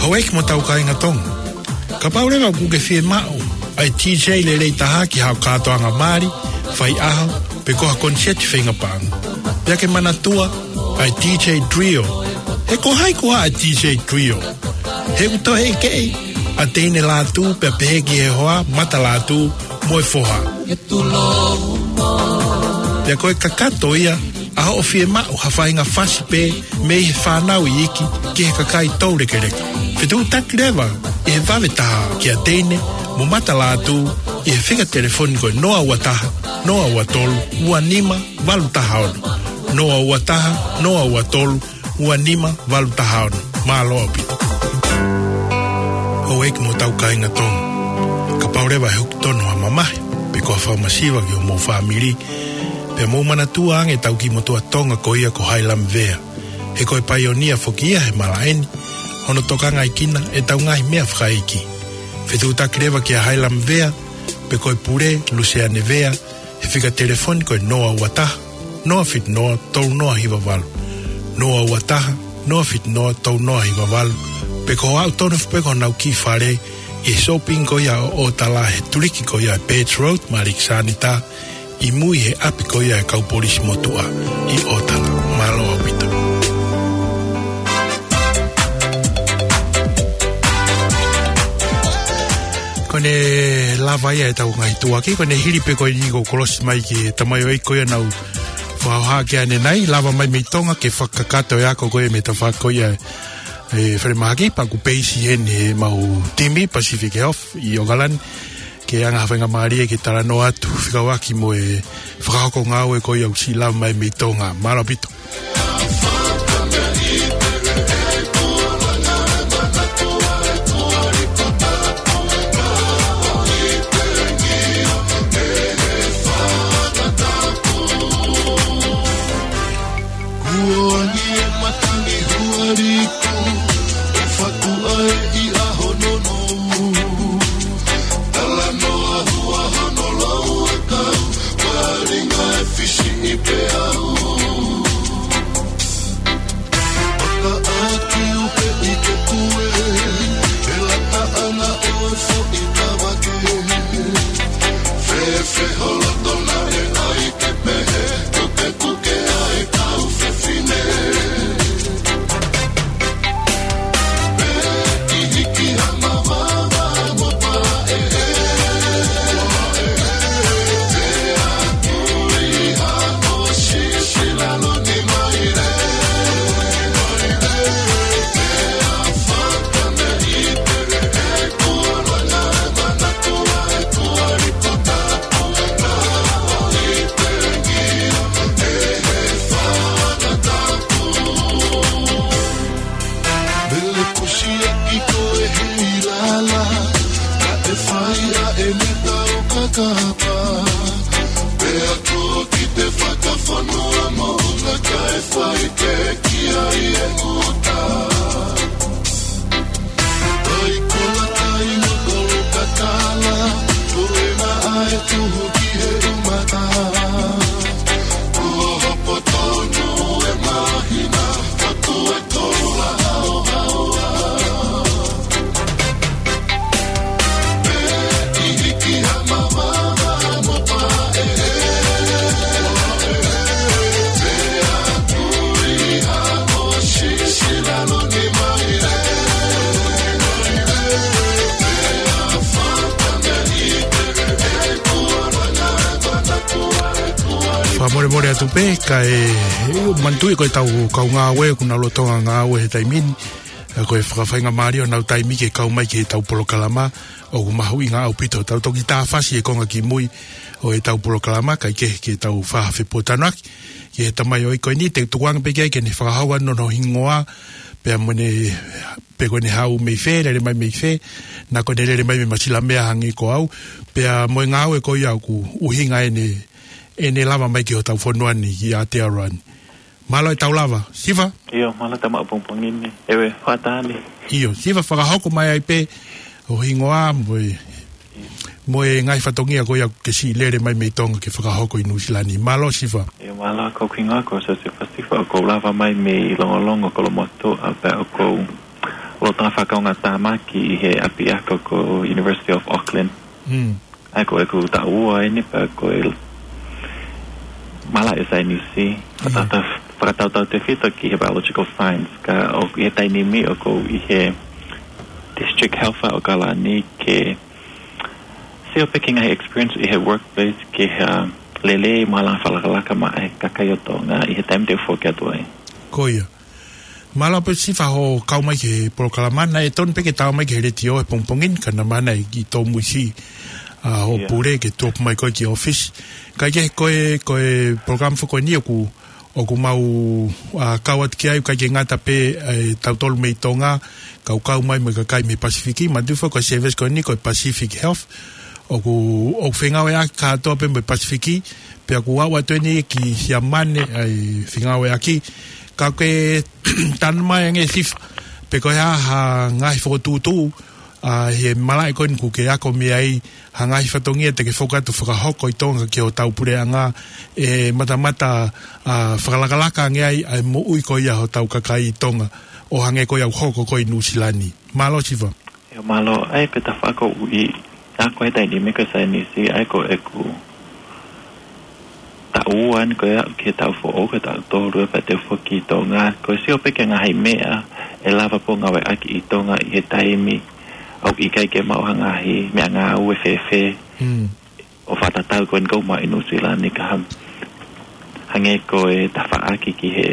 Houʻeiki mo tau kāinga Tonga. Kapau leva ʻoku ke fiemaʻu ʻa e DJ lelei taha ki haʻo kātoanga mali, faiʻaho, pe ko ha koniseti feinga paʻanga, pea ke manatua ʻa e DJ Trio. He ko hai koā ʻa e DJ Trio? He ʻoku toe ʻeke ʻa Teine Lātū pea pehē ki he hoa, Mata Lātū mo e foha. Pea ko e kakato ia ʻa hoʻo fiemaʻu ha faʻahinga fasi pē mei he fānau iiki ki he kakai toulekeleka. Fetuʻutaki leva ʻi he vave taha kia Teine mo Mata Lātū ʻi he fika telefoni ko e noa ua taha, noa ua tolu, ua nima, valu taha ono. Noa ua taha, noa ua tolu, ua nima, valu taha ono. Mālō ʻaupito. Houʻeiki mo tau kāinga Tonga. Kapau leva ʻe hoko tonu ha mamahi, pe ko ha fakamasiva ki homou fāmili, pea mou manatua ange ʻetau kiʻi motuʻa Tonga ko ia ko Hailamvea. He ko e paionia foki ia he malaʻe ni, hono tokangaʻi kinautolu ʻetau ngaahi meʻa fakaʻeiki. Fetuʻutaki leva kia Hailamvea, pe ko e pule, Luseane Vea, he fika telefoni ko e noa ua taha, noa fitu noa, tolu noa hiva valu. Noa ua taha, noa fitu noa, tolu noa hiva valu. Pe ko e aʻu tonu foki pē ki honau kiʻi fale, ʻi he shopping ko ia ʻo ʻOtala he tuliki ko ia ʻa Birch Road, Malikisānita, ʻi mui he ʻapi ko ia ʻa e kau polisi motuʻa ʻi ʻOtala. Mālō ʻaupito. Ko ʻene lava ia ʻetau ngaahi tuʻuaki, ko ʻene hili pē ko eni ʻoku kolosi mai ki he tamaioʻeiki ko ia naʻa ku fakahoha ki ai ʻanenai, lava mai mei Tonga ke fakakakato e ako ko ia mei he tafaʻaki ko ia ʻe Falemahaki, pea ʻoku peisi heni ʻemau timi Pacific Health ʻi ʻOkalani, ke anga ha faingamālie ke talanoa atu fekauʻaki mo e fakahoko ngāue ko ia ʻoku siʻi lava mai mei Tonga. Mālō ʻaupito. Kuo angi e matangi huariku, ʻe fatu ai ʻi ʻaho nounou. Talanoa hua hono lau e kau, kuo ringa e fisi ʻi peau. Kapa, pea ko ki te fakafonua mo una kae fai ke ki ai e uta. Ai kola kai mo kolu katala, ko e na ai tuhu ki he umata. Kuo hopo tonu e mahina, ka ko e kola hao hao. Fakamolemole atu pē, ka e, e, manatuʻi ko e tau kau ngāue, ʻoku nau lolotonga ngāue he taimi ni, ʻa ko e fakafaingamālie ʻo nau taimi ke kau mai ki he tau polokalama, ʻoku mahuʻinga ʻaupito. Tau toki tāfasi e konga ki mui ʻo e tau polokalama, kae kehe ke tau fakafepōtalanoaʻaki ki he tamaioʻeiki ko eni, te u tukuange pē ki ai ke ne fakahoko ʻa hono hingoa, pea mo ʻene, pe ko ʻene haʻu mei fē, lele mai mei fē, naʻa ko ʻene lele mai mei Masilamea hangē ko au, pea mo e ngāue ko ia ʻoku ʻuhinga ʻene, ʻene lava mai ki hotau fonua ni ki Aotearoa ni. Mālō e tau lava. Sifa? ʻIo, mālō tama pongipongi ni. ʻEve, fātani. ʻIo, Sifa, fakahoko mai ai pē ho hingoa mo e, mo e ngaahi fatongia ko ia ke siʻi lele mai mei Tonga ke fakahoko ʻi Nuʻusila ni. Mālō Sifa. ʻIo, mālō, ko hoku hingoa ko Sifa Sifa, ʻoku ou lava mai mei Longolongo, Kolomotuʻa, pea ʻoku ou lolotonga fakaʻaongaʻi tāmaki ʻi he ʻapiako ko University of Auckland. Mm. ʻA ia ko ʻeku taʻu ua eni pea ko e malaʻe saienisi, fakatau-, fakatautautefito ki he biological science, ka ʻoku ʻi he taimi ni ʻoku ou ʻi he district health ʻa ʻAokalani ke sio pē ki he ngaahi experience ʻi he workplace ke ha lele mo e langa fakalakalaka maʻa e kakai ʻo Tonga ʻi he taimi te u foki atu ai. Ko ia. Mālō pē Sifa hoʻo kau mai ki he polokalama, naʻe tonu pē ke tau mai ki he letiō he pongipongi ni, ka naʻa mou ʻi ai e kiʻi tōmuisi, ʻa, hoʻo pule ke tuʻu mai koe ki ʻōfisi. Kae kehe ko e, ko e polokalama foki ko eni ʻoku, ʻoku mau, ʻa, kau atu ki ai, ʻikai ke ngata pē, ʻe, tautolu mei Tonga, kau kau mai mo e kakai mei Pasifiki, manatuʻi foki ko e service ko eni ko e Pacific Health, ʻoku, ʻoku fengāueʻaki kātoa pē mo e Pasifiki, pea ʻoku aʻu atu eni ki Siamane ʻa e fengāueʻaki. Ka ke tanu mai ange Sifa, pe ko e hā ha ngaahi fokotuʻutuʻu, ʻa, he malaʻe ko eni ʻoku ke ako mei ai, ha ngaahi fatongia te ke fokotuʻu fakahoko ʻi Tonga ki hotau puleʻanga, ʻe matamata, ʻa, fakalakalaka ange ai, ʻa e moʻui ko ia hotau kakai ʻi Tonga, ʻo hangē ko ia ʻoku hoko ko ē ʻi Nuʻusila ni. Mālō Sifa. ʻIo mālō, ʻa ia ko e tafaʻaki ʻoku ou ako he taimi ni ko e saienisi, ʻa ia ko ʻeku taʻu ua eni ko ia ki he taʻu foʻou, ko e taʻu tolu ē pea te u foki ki Tonga, ko e sio pē ki he ngaahi meʻa ʻe lava pē ʻo ngāueʻaki ʻi Tonga ʻi he taimi ʻoku ʻikai ke maʻu ha ngaahi meʻangāue fēfē. Mm. ʻO fakatatau ko eni ʻoku ou maʻu ʻi Nuʻusila ni ka ha-, hangē ko e tafaʻaki ki he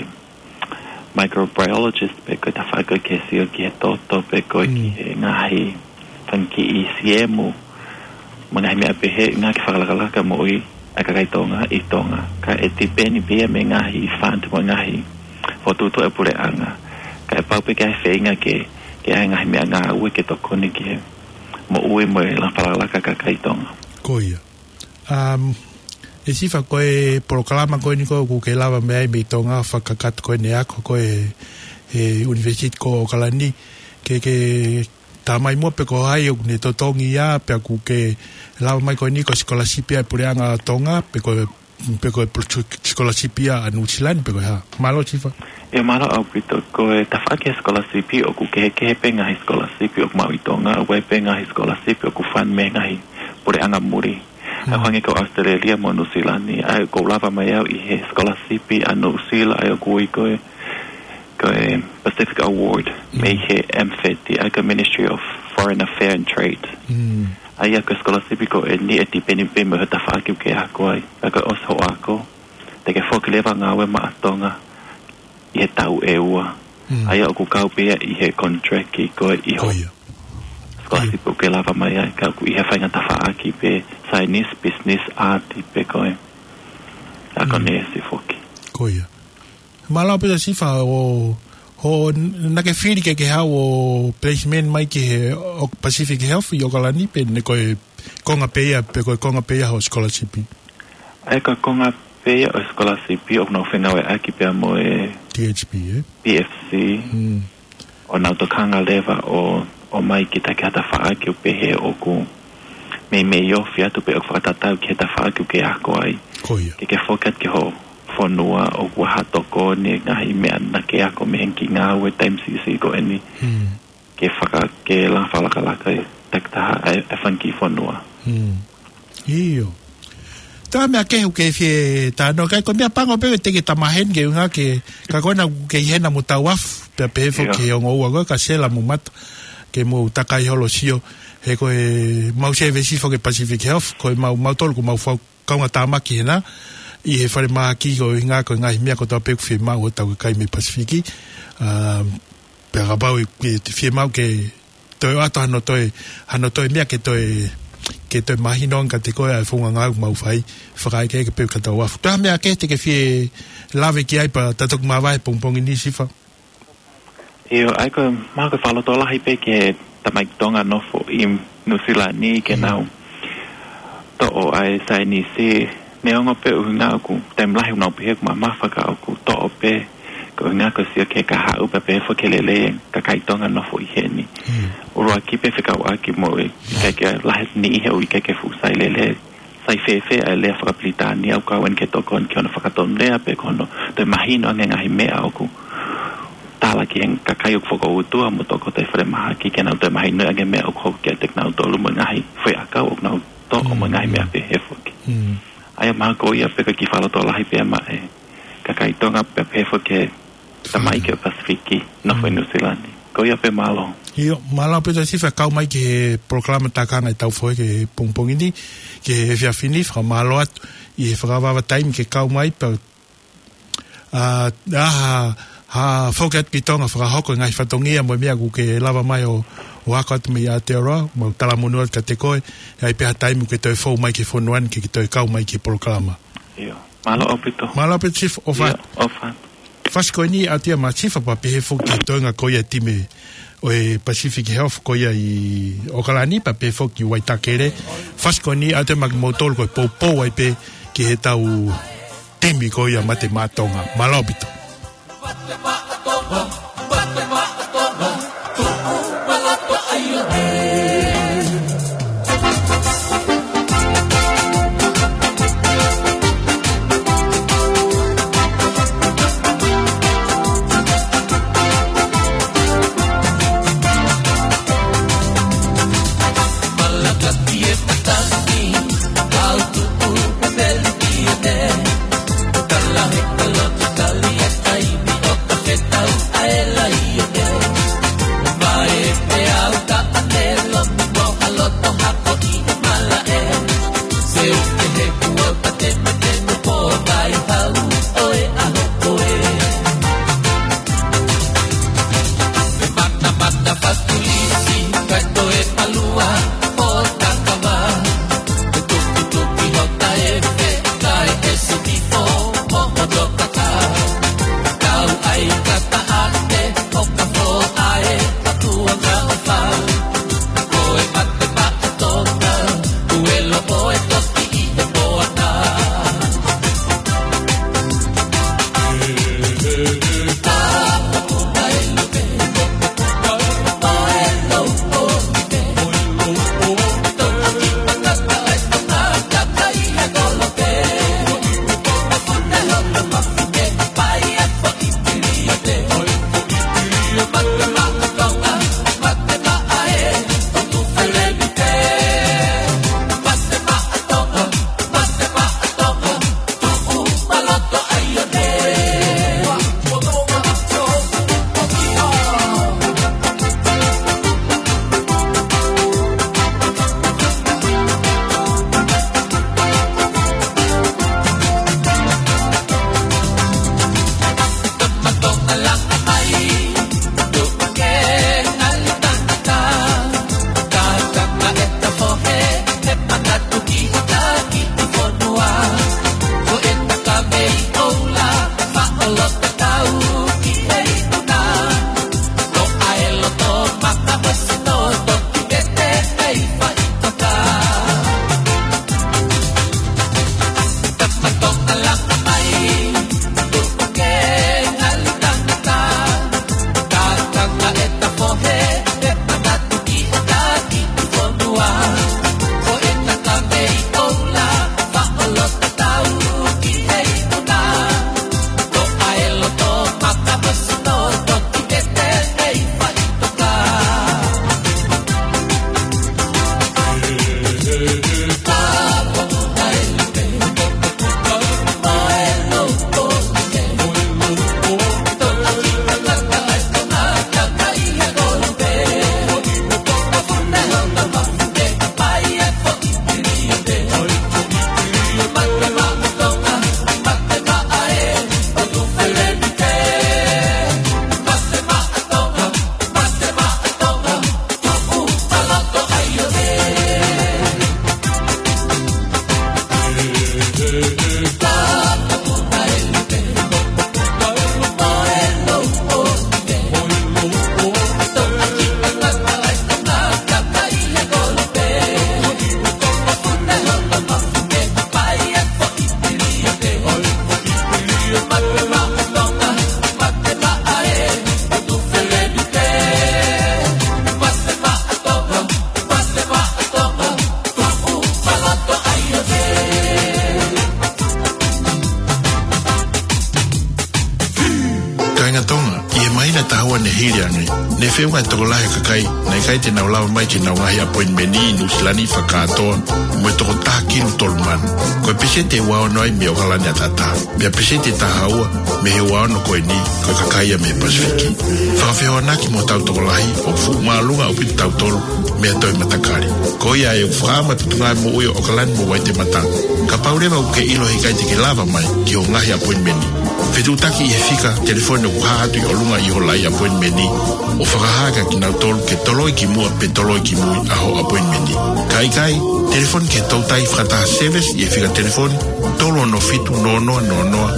microbiologist pe ko e tafaʻaki ki he sio ki he toto pe ko e ki he ngaahi fanga kiʻi siemu. Mo e ngaahi meʻa pehē, ngaahi fakalakalaka moʻui ʻa e kakai Tonga ʻi Tonga. Ka ʻe tipeni pē ia mei he ngaahi fund mo e ngaahi fokotuʻutuʻu ʻa e puleʻanga. Ka ʻe pau pē ke ʻi ai e feinga ke, ke ʻi ai e ngaahi meʻangāue ke tokoni ki he moʻui mo e langa fakalakalaka ʻa e kakai Tonga. Ko ia. Um, ʻe Sifa ko e polokalama ko eni ko ē ʻoku ke lava mai ai mei Tonga fakakakato ko eni ʻa e ako ko ē he University ko ʻAokalani, ke, ke tā mai muʻa pe ko hai ʻoku ne totongi ia, pea ʻoku ke lava mai ko eni ko e sikolasipi ʻa e puleʻanga ʻo Tonga, pe ko, pe ko e pro-, sikolasipi ʻa Nuʻusila ni, pe ko e hā. Mālō Sifa. ʻIo mālō ʻaupito, ko e tafaʻaki he sikolasipi ʻoku kehekehe pē ngaahi sikolasipi ʻoku maʻu ʻi Tonga, ʻoku ʻi ai pē ngaahi sikolasipi ʻoku fund mei he ngaahi puleʻanga muli. ʻA ia hangē ko ʻAositelēlia mo Nuʻusila ni, ʻa ia ʻoku ou lava mai au ʻi he sikolasipi ʻa Nuʻusila, ʻa ia ʻoku ui ko e, ko e Pacific Award, mei he M FATI, ʻa ia ko e Ministry of Foreign Affairs and Trade. Mm. ʻA ia ko e sikolasipi ko eni ʻe tipeni pē mo e tafaʻaki ʻoku ke ako ai, ʻa ia ko e ʻosi hoʻo ako, te ke foki leva ʻo ngāue maʻa Tonga ʻi he taʻu ʻe ua. Mm. ʻA ia ʻoku kau pē ia ʻi he contract ko ē ʻi hoʻo sikolasipi ʻoku ke lava mai ai, ka ʻoku ʻi he faʻahinga tafaʻaki pē saienisi, business, art pe ko e akonesi foki. Ko ia. Mālō pē Sifa ʻo, ʻo naʻa ke fili ke ke haʻu ʻo placement mai ki he ʻo Pacific Health ʻi ʻAokalani pe naʻe ko e konga pē ia, pe ko e konga pē ia hoʻo scholarship? ʻA ia ko e konga pē ia ʻo e scholarship ʻoku nau fengāueʻaki pea mo e T H P, ē? P F C. Mm. ʻO nau tokanga leva ʻo, ʻo ʻomai ki he takiekina tafaʻaki ʻo pehē ʻoku meimei ofi atu pe ʻoku fakatatau ki he tafaʻaki ʻoku ke ako ai. Ko ia. Ke ke foki atu ki ho fonua ʻoku ʻikai ha tokoni, ngaahi meʻa naʻa ke ako mei heni ki he ngāue taimi siʻisiʻi ko eni. Mm. Ke faka-, ke langa fakalakalaka e takitaha ʻa e, ʻa e fanga kiʻi fonua. Mm. ʻIo. Toe ʻi ai ha meʻa kehe ʻoku ke fie talanoa ki ai, ko e meʻa pango pē ʻoku te ke tamaheni ke unga ke, ka ko ena ʻoku ke ʻi hena mo Tauafu, pea pehē foki ʻIo. ki he ongo ua ko ē, Kasela mo Mata, ke mou takai holo sio, he ko e mau service foki Pacific Health, ko e mau, mautolu ko e mau fau-, kaungātāmaki hena, ʻi he falemahaki ko e ʻuhinga ko e ngaahi meʻa kotoa pē ʻoku fiemaʻu ʻe hotau kakai mei Pasifiki, ʻa, pea kapau ʻe, ʻe fiemaʻu ke toe ʻoatu hano toe, hano toe meʻa ke toe, ke toe mahino ange kiate koe ʻa e founga ngāue ʻoku mau fai, fakaʻekeʻeke pē kia Tauafu. Toe ʻi ai ha meʻa kehe te ke fie lave ki ai pea ta toki māvae he pongipongi ni, Sifa? ʻIo, ʻa ia ko e, mahalo ko e fakalotolahi pē ki he tamaiki Tonga nofo ʻi Nuʻusila ni ke Mm. nau toʻo ʻa e saienisi, neongo pē ʻuhinga ʻoku taimi lahi ʻoku nau pehē ʻoku mamafa ka ʻoku toʻo pē, ko e ʻuhinga ko e sio ki he kahaʻu pea pehē foki ki he lelei e kakai Tonga nofo ʻi heni. Mm. ʻUluaki pē fekauʻaki mo e ʻikai ke lahi e niʻihi ʻoku ʻikai ke fuʻu sai lelei, sai fēfē ʻa e lea fakapilitānia ʻoku kau eni ke tokoni ki hono fakatonulea pe ko hono toe mahino ange ngaahi meʻa ʻoku tala ki he kakai ʻoku fokoutua mo tokoto ʻi falemahaki ke nau toe mahinoʻi ange meʻa ʻoku hoko kiate kinautolu mo e ngaahi foʻi ʻakau ʻoku nau toʻo mo e ngaahi Mm. meʻa pehē foki. Mm. ʻA ia mahalo ko ia pē ko e kiʻi fakalotolahi pē maʻa e kakai Tonga pea pehē foki ki he tamaiki ʻo Pasifiki nofo ʻi Mm. Nuʻusila ni. Ko ia pē, mālō. ʻIo, mālō ʻaupito Sifa, kau mai ki he polokalama tākanga ʻetau fohe ki he pongipongi ni, ki he efiafi ni, fakamālō atu ʻi he fakavavevave taimi ke kau mai pea, ʻa, ʻa, ha, ha foki atu ki Tonga fakahoko e ngaahi fatongia mo e meʻa ʻoku ke lava mai ʻo, ʻo ako atu mei Aotearoa, mau talamonū atu kiate koe, ʻe ʻi ai pē ha taimi ʻoku ke toe fou mai ki he fonua ni ke ke toe kau mai ki he polokalama. ʻIo, mālō ʻaupito. Mālō ʻaupito Sifa, ʻofa atu. ʻIo, ʻofa atu. Fasi ko eni ʻa ia ma Sifa pea pehē foki ki he toenga ko ia e timi ʻo e Pacific Health ko ia ʻi ʻOkalani pea pehē foki ki Waitakere. Fasi ko eni ʻa ia ma kimoutolu ko e poupou ai pē ki heʻetau timi ko ia Mate Maʻa Tonga. Mālō ʻaupito. Hili ange, ne feʻunga e tokolahi ʻo e kakai naʻe ʻikai te nau lava mai ki heʻenau ngaahi appointment ʻi Nuʻusila ni fakakātoa mo e toko taha kilu tolu mano. Ko e peseti ʻe ua ono ai mei ʻAokalani ʻataʻatā. Pea peseti ʻe taha ua mei he ua ono ko eni, ko e kakai ia mei Pasifiki. Fakafehoanaki mo hotau tokolahi, ʻoku fuʻu māʻolunga ʻaupito kitautolu mei ha toe matakali. Ko ia ʻoku fakaʻamu atu e tuʻunga moʻui ʻo ʻAokalani mo Waitemata. Kapau leva ʻoku ke ʻilo he ʻikai te ke lava mai ki hoʻo ngaahi appointment, fetuʻutaki ʻi he fika telefoni ʻoku hā atu ʻi ʻolunga ʻi ho lai appointment, ʻo fakahā kia kinautolu ke toloi ki muʻa pe toloi ki mui ʻa hoʻo appointment. Ka ʻikai, telefoni ki he toutai fakataha service ʻi he fika telefoni tolu ono fitu noa noa noa noa,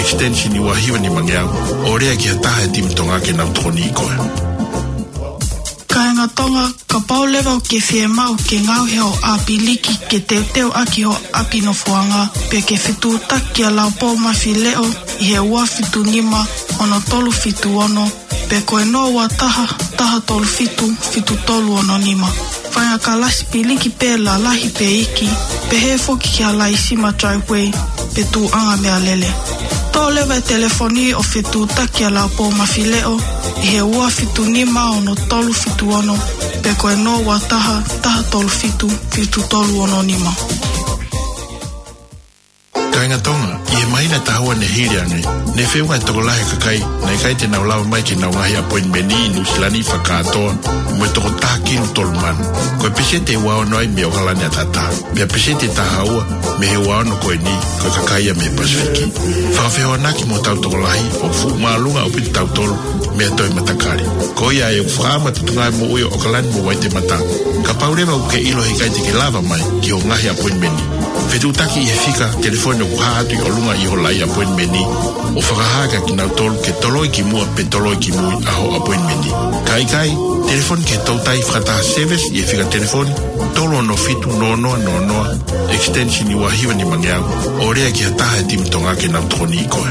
extension ua hiva nima ngeau, ʻo lea ki ha taha he timi Tonga ke nau tokoniʻi koe. Kāinga Tonga, kapau leva ʻoku ke fiemaʻu ke ngaohi hoʻo ʻapi liki ke teuteu ʻaki hoʻo ʻapi nofoʻanga, pe ke fetuʻutaki kia Laupou Mafileʻo ʻi he ua fitu nima ono tolu fitu ono, pe ko e noa ua taha, taha tolu fitu, fitu tolu ono nima. Fai ha kalasi piliki pē lalahi pe iiki, pehē foki ki ha laisima driveway pe tuʻunga meʻalele. Toʻo leva e telefoni ʻo fetuʻutaki kia Laupou Mafileʻo ʻi he ua fitu nima ono tolu fitu ono, pe ko e noa ua taha, taha tolu fitu, fitu tolu ono nima. Kāinga Tonga, ʻi he māhina ʻe taha ua ne hili ange, ne feʻunga e tokolahi ʻo e kakai naʻe ʻikai te nau lava mai ki heʻenau ngaahi appointment ʻi Nuʻusila ni fakakātoa mo e toko taha kilu tolu mano. Ko e peseti ʻe ua ono ai mei ʻAokalani ʻataʻatā. Pea peseti ʻe taha ua mei he ua ono ko eni, ko e kakai ia mei Pasifiki. Fakafehoanaki mo hotau tokolahi, ʻoku fuʻu māʻolunga ʻaupito kitautolu mei ha toe matakali. Ko ia ʻoku fakaʻamu atu e tuʻunga moʻui ʻo ʻAokalani mo Waitemata. Kapau leva ʻoku ke ʻilo he ʻikai te ke lava mai ki hoʻo ngaahi appointment, fetuʻutaki ʻi he fika telefoni ʻoku hā atu ʻi ʻolunga ʻi ho lai appointment, ʻo fakahā kia kinautolu ke toloi ki muʻa pe toloi ki mui ʻa hoʻo appointment. Ka ʻikai, telefoni ki he toutai fakataha service ʻi he fika telefoni tolu ono fitu noa noa noa noa, extension ua hiva nima ngeau, ʻo lea ki ha taha he timi Tonga ke nau tokoniʻi koe.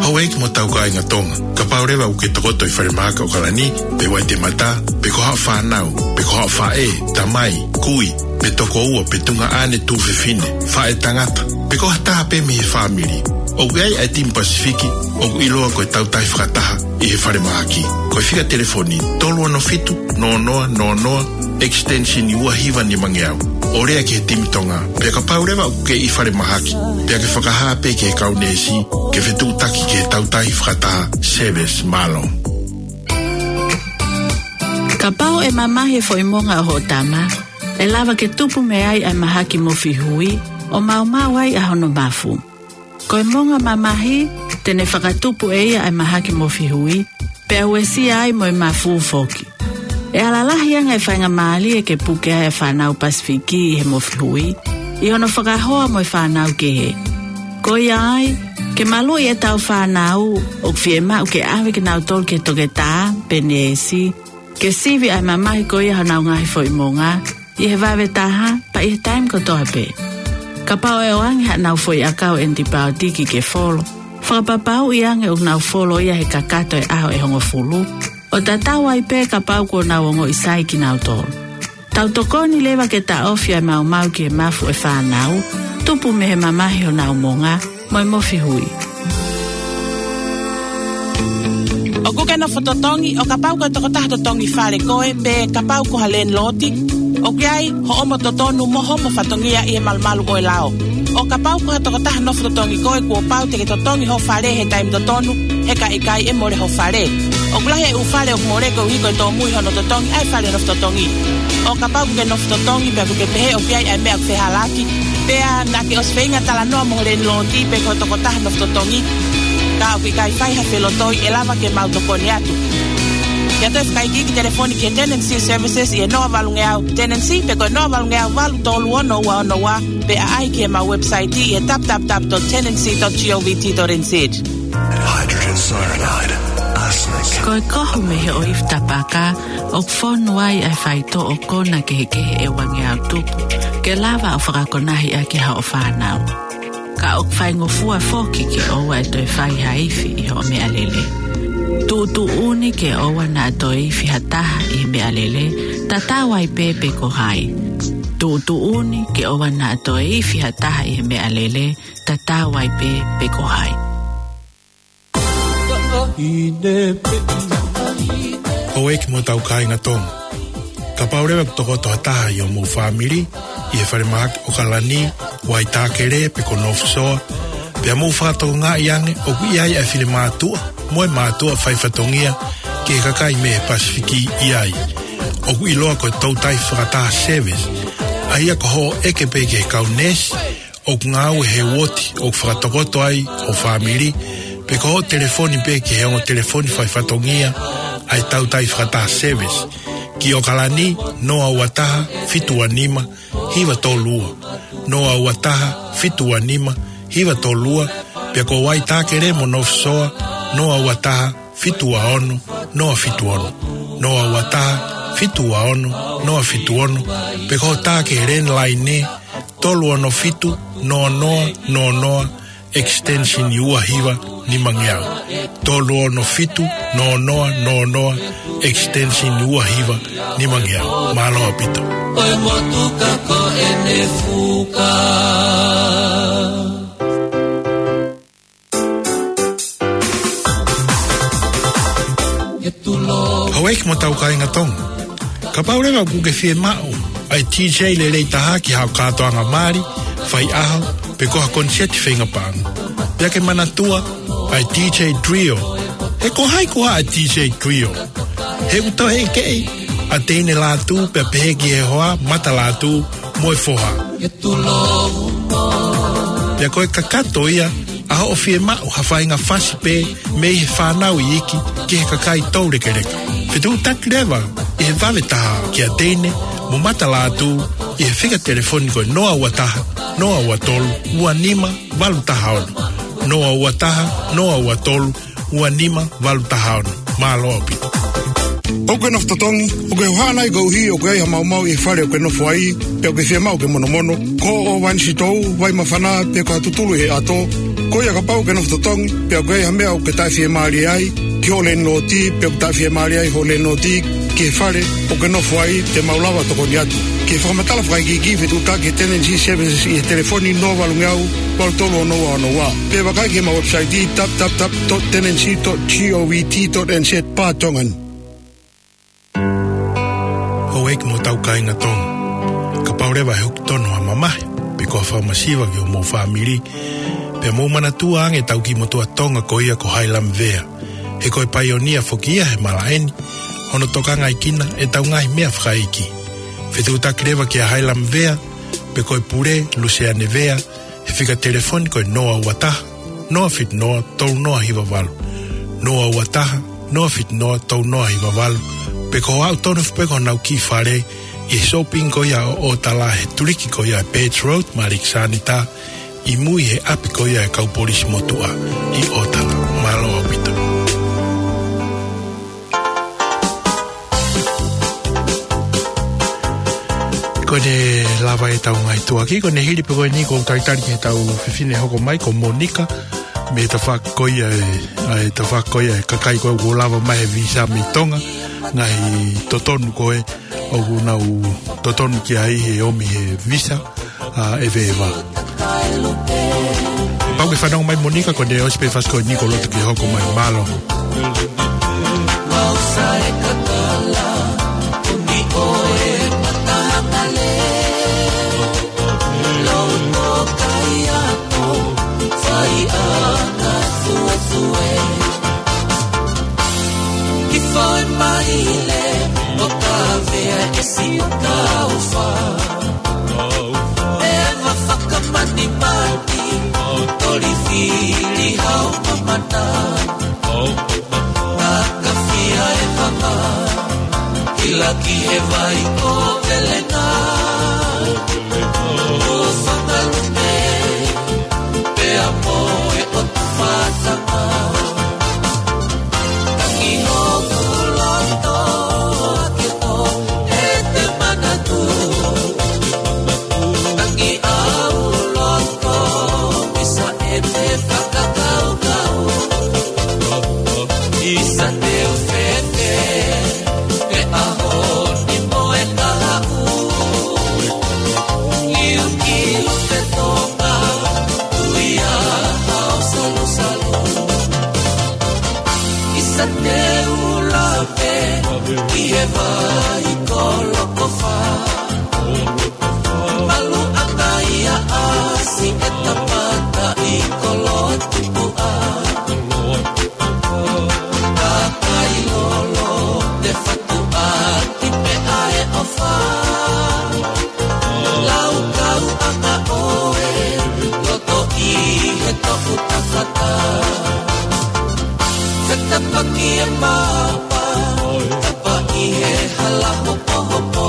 Houʻeiki mo hotau kāinga Tonga, kapau leva ʻoku ke tokoto ʻi falemahaki ʻo ʻAokalani, pe Waitemata, pe ko haʻo fānau, pe ko haʻo faʻē, tamai, kui, pe tokoua, pe tuongaʻane, tuofefine, faʻētangata, pe ko ha taha pē mei he fāmili, ʻoku ʻi ai ʻa e timi Pasifiki ʻoku ʻiloa ko e Tautai Fakataha ʻi he falemahaki. Ko e fika telefoni tolu ono fitu noa noa noa noa, extension ua hiva nima ngeau, ʻo lea ki he timi Tonga. Pea kapau leva ʻoku ke ʻi falemahaki, pea ke fakahā pē ki he kau neesi ke fetuʻutaki ki he Tautai Fakataha service. Mālō. Kapau ʻe mamahi e foʻi monga ʻo hoʻo tama, ʻe lava ke tupu mei ai ʻa e mahaki mofihui, ʻo maumau ai ʻa hono mafu. Ko e monga mamahi, te ne fakatupu ʻe ia ʻa e mahaki mofihui, pea uesia ai mo e mafu foki. ʻE ala lahi ange e faingamālie ke puke ai ʻa e fānau Pasifiki ʻi he mofihui, ʻi hono fakahoa mo e fānau kehe. Ko ia ai, ke maluʻi ʻetau fānau, ʻoku fiemaʻu ke ʻave kinautolu ki he toketā pe neesi, ke sivi ʻa e mamahi ko ia ʻi honau ngaahi foʻi monga, ʻi he vave taha, pea ʻi he taimi kotoa pē. Kapau ʻe ʻoange haʻanau foʻi ʻakau ʻenipaotiki ke folo, fakapapauʻi ange ʻoku nau folo ia he kakato e ʻaho ʻe hongofulu, ʻo tatau ai pē kapau kuo nau ongoʻi sai kinautolu. Tau tokoni leva ke taʻofi ʻa e maumau ki he mafu ʻo e fānau, tupu mei he mamahi honau monga, mo e mofihui. ʻOku ke nofo totongi, ʻo kapau ko e tokotaha totongi fale koe, pe kapau ko ha landlord, ʻoku ʻi ai hoʻomo totonu mo hoʻomo fatongia ʻi he malumalu ʻo e lao. ʻO kapau ko ha tokotaha nofo totongi koe, kuo pau te ke totongi ho fale he taimi totonu, he ka ʻikai ʻe mole ho fale. ʻOku lahi e ʻū fale ʻoku mole koeʻuhi ko e tōmui hono totongi ʻa e fale nofo totongi. ʻO kapau ʻoku ke nofo totongi, pea ʻoku ke pehē ʻoku ʻi ai ʻa e meʻa ʻoku fehālaaki, pea naʻa ke ʻosi feinga talanoa mo ho landlord pe ko e tokotaha nofo totongi, ka ʻoku ʻikai fai ha felotoi, ʻe lava ke mau tokoni atu. Ke ʻoatu e fakaikiiki, telefoni ki he Tenancy Services ʻi he noa valu ngeau tenancy pe ko e noa valu ngeau valu tolu ono ua ono ua, pe ʻaʻahi ki heʻemau website ʻi he w w w dot tenancy dot govt dot n z. Hydrogen cyanide, arsenic. Ko e kohu mei he ʻoifi tapaka, ʻoku fonu ai ʻa e faitoʻo kona kehekehe ʻe uangeau tupu, ke lava ʻo fakakonahi ʻaki haʻo fānau. Ka ʻoku faingofua foki ke ʻoua ʻe toe fai ha ifi ʻi hoʻo meʻalele. Tuʻutuʻuni ke ʻoua naʻa toe ifi ha taha ʻi he meʻalele, tatau ai pē pe ko hai. Tuʻutuʻuni ke ʻoua naʻa toe ifi ha taha ʻi he meʻalele, tatau ai pē pe ko hai. Houʻeiki mo hotau kāinga Tonga. Kapau leva ʻoku tokoto ha taha ʻi hoʻomou fāmili ʻi he falemahaki ʻOkalani, Waitākele pe ko North Shore, pea mou fakatokangaʻi ange ʻoku ʻi ai ʻa e finemātuʻa mo e mātuʻa faifatongia ki he kakai mei he Pasifiki ʻi ai. ʻOku ʻiloa ko e Toutai Fakataha Service, ʻa ia ko hoʻo ʻeke pē ki he kau neesi ʻoku ngāue he uooti ʻoku fakatokoto ai ho fāmili, pe ko hoʻo telefoni pē ki he ongo telefoni faifatongia ʻa e Toutai Fakataha Service, ki ʻOkalani, noa ua taha, fitu ua nima, hiva tolu ua, noa ua taha, fitu ua nima, hiva tolu ua, pea ko Waitākele mo North Shore, noa ua taha, fitu ua ono, noa fitu ono, noa ua taha, fitu ua ono, noa fitu ono, pe ko hoʻo tā ki he landline, tolu ono fitu, noa noa noa noa, extension ua hiva nima ngeau. Tolu ono fitu, noa noa noa noa, extension ua hiva nima ngeau. Mālō ʻaupito. Ko e motuka ko ʻene fuka. Houʻeiki mo hotau kāinga Tonga. Kapau leva ʻoku ke fiemaʻu ʻa e D J lelei taha ki haʻo kātoanga mali, faiʻaho, pe ko ha koniseti feinga paʻanga, pea ke manatua ʻa e D J Trio. He ko hai koā ʻa e D J Trio? He ʻoku toe ʻeke ʻa Teine Lātū pea pehē ki he hoa, Mata Lātū mo e foha. Pea ko e kakato ia ʻa hoʻo fiemaʻu ha faʻahinga fasi pē mei he fānau iiki ki he kakai toulekeleka. Fetuʻutaki leva ʻi he vave taha kia Teine mo Mata Lātū ʻi he fika telefoni ko e noa ua taha, noa ua tolu, ua nima, valu taha ono. Noa ua taha, noa ua tolu, ua nima, valu taha ono. Mālō ʻaupito. ʻOku ke nofo totongi, ʻoku ke hohaʻa nai koeʻuhi ʻoku ʻi ai ha maumau ʻi he fale ʻoku ke nofo ai, pea ʻoku ke fiemaʻu ke monomono? Ko ʻo Vainisitou, Vaimafana, pe ko ha tutulu ʻi he ʻato. Ko ia kapau ʻoku ke nofo totongi, pea ʻoku ʻi ai ha meʻa ʻoku ke taʻefiemālie ai ki hoʻo leniloti, pe ʻoku taʻefiemālie ai hoʻo leniloti ki he fale ʻoku ke nofo ai, te mau lava ʻo tokoni atu. Ke fakamatala fakaikiiki, fetuʻutaki ki he Tenancy Services ʻi he telefoni noa valu ngeau, valu tolu ono ua ono ua. Pe vakai ki heʻemau website, w w w dot tenancy dot govt dot n z, pe Tongan. Houʻeiki mo hotau kāinga Tonga. Kapau leva ʻe hoko tonu ha mamahi, pe ko ha fakamasiva ki homou fāmili, pea mou manatua ange ʻetau kiʻi motuʻa Tonga ko ia ko Hailama Vea. He ko e paionia foki ia he malaʻe ni, hono tokangaʻi kinautolu ʻetau ngaahi meʻa fakaʻeiki. Fetuʻutaki leva kia Hailama Vea, pe ko e pule, Luseane Vea, he fika telefoni ko e noa ua taha, noa fitu noa, tolu noa hiva valu. Noa ua taha, noa fitu noa, tolu noa hiva valu. Pe ko e aʻu tonu foki pē ki honau kiʻi fale ʻi he shopping ko ia ʻo ʻOtala he tuliki ko ia ʻa e Birch Road mo Alexander, ʻi mui he ʻapi ko ia ʻa e kau polisi motuʻa ʻi ʻOtala. Mālō ʻaupito. Ko ʻene lava ʻetau ngaahi tuʻuaki, ko ʻene hili pē ko eni ʻoku ou talitali ki heʻetau fefine hoko mai ko Monika, mei he tafaʻaki ko ia ʻe, ʻa e tafaʻaki ko ia ʻa e kakai ko ē ʻoku lava mai he visa mei Tonga, ngaahi totonu ko ē ʻoku nau totonu ki ai he ʻomi he visa, ʻa, ʻeveʻeva. Pau ke fanongo mai Monika, ko ʻene ʻosi pē fasi ko eni ʻoku ou loto ke hoko mai. Mālō. Ki foe maile, ʻo ka vea e si o ka ufa. E ava fakamanimani, toli fili hau mamana. Takafia e fanga, ila ki he vai ko Velenga. Ko fakalume, pea mo e ʻotu matanga. Tangi hoku loto, ake ko e te manatu. Tangi au loto, misa e te fakakaukau. Isa te u fete, e ʻaho ni mo e kahaʻu. ʻi he vai kolokofa. Malu ʻa e ʻasi ʻe tapata ʻi kolotupuʻa. Kakai lolo te fatu ʻaki pē ʻa e ʻofa. Laukau ʻa ka ʻoe, loto ʻi he toku tafata. Fetapaki e mapa, tapa ʻi he hala hopohopo.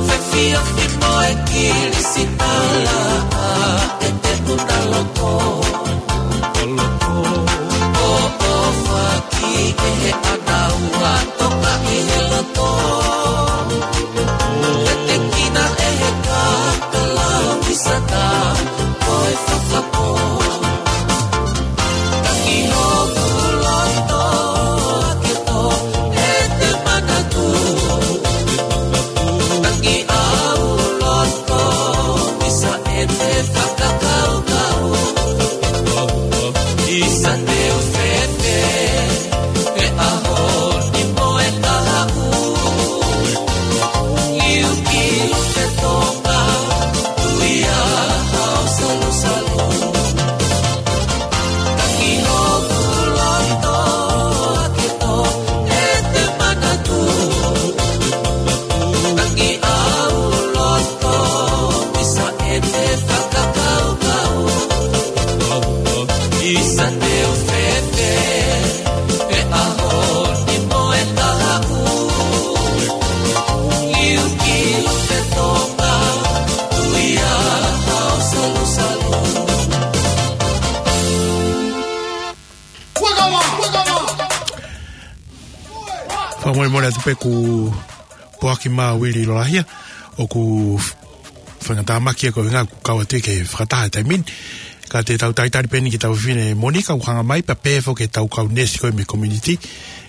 Fefiofi mo e kilisitala, ʻa e te una loko. ʻOʻofaki ʻe he ʻanaua toka ʻi he loto. Tetekina ʻe he kakala ʻi sata ko e fakapō. Tangi hoku loto ake tō e te manatu. Tangi au loto ʻi sa e te fakakaukau. ʻI sa te u fefe, e ʻaho ni mo e kahaʻu. Iu ki te toka, tui a hao salusalu. Tangi hoku loto ake tō e te manatu. Tangi au loto ʻi sa e te fakakaukau. ʻI sa te u fefe, e ʻaho ni mo e kahaʻu. Iu ki te toka, tui a hao salusalu. Fakamolemole atu pē, ko Poaki Mā Uili Lolahia, ʻoku faingatāmaki ʻa e kovinga ku kau atu ke fakataha e taimi ni. Ka te tau talitali pē eni ki he tau fefine Monika, ʻoku hanga mai pea pehē foki ki he tau kau neesi ko ē mei he community.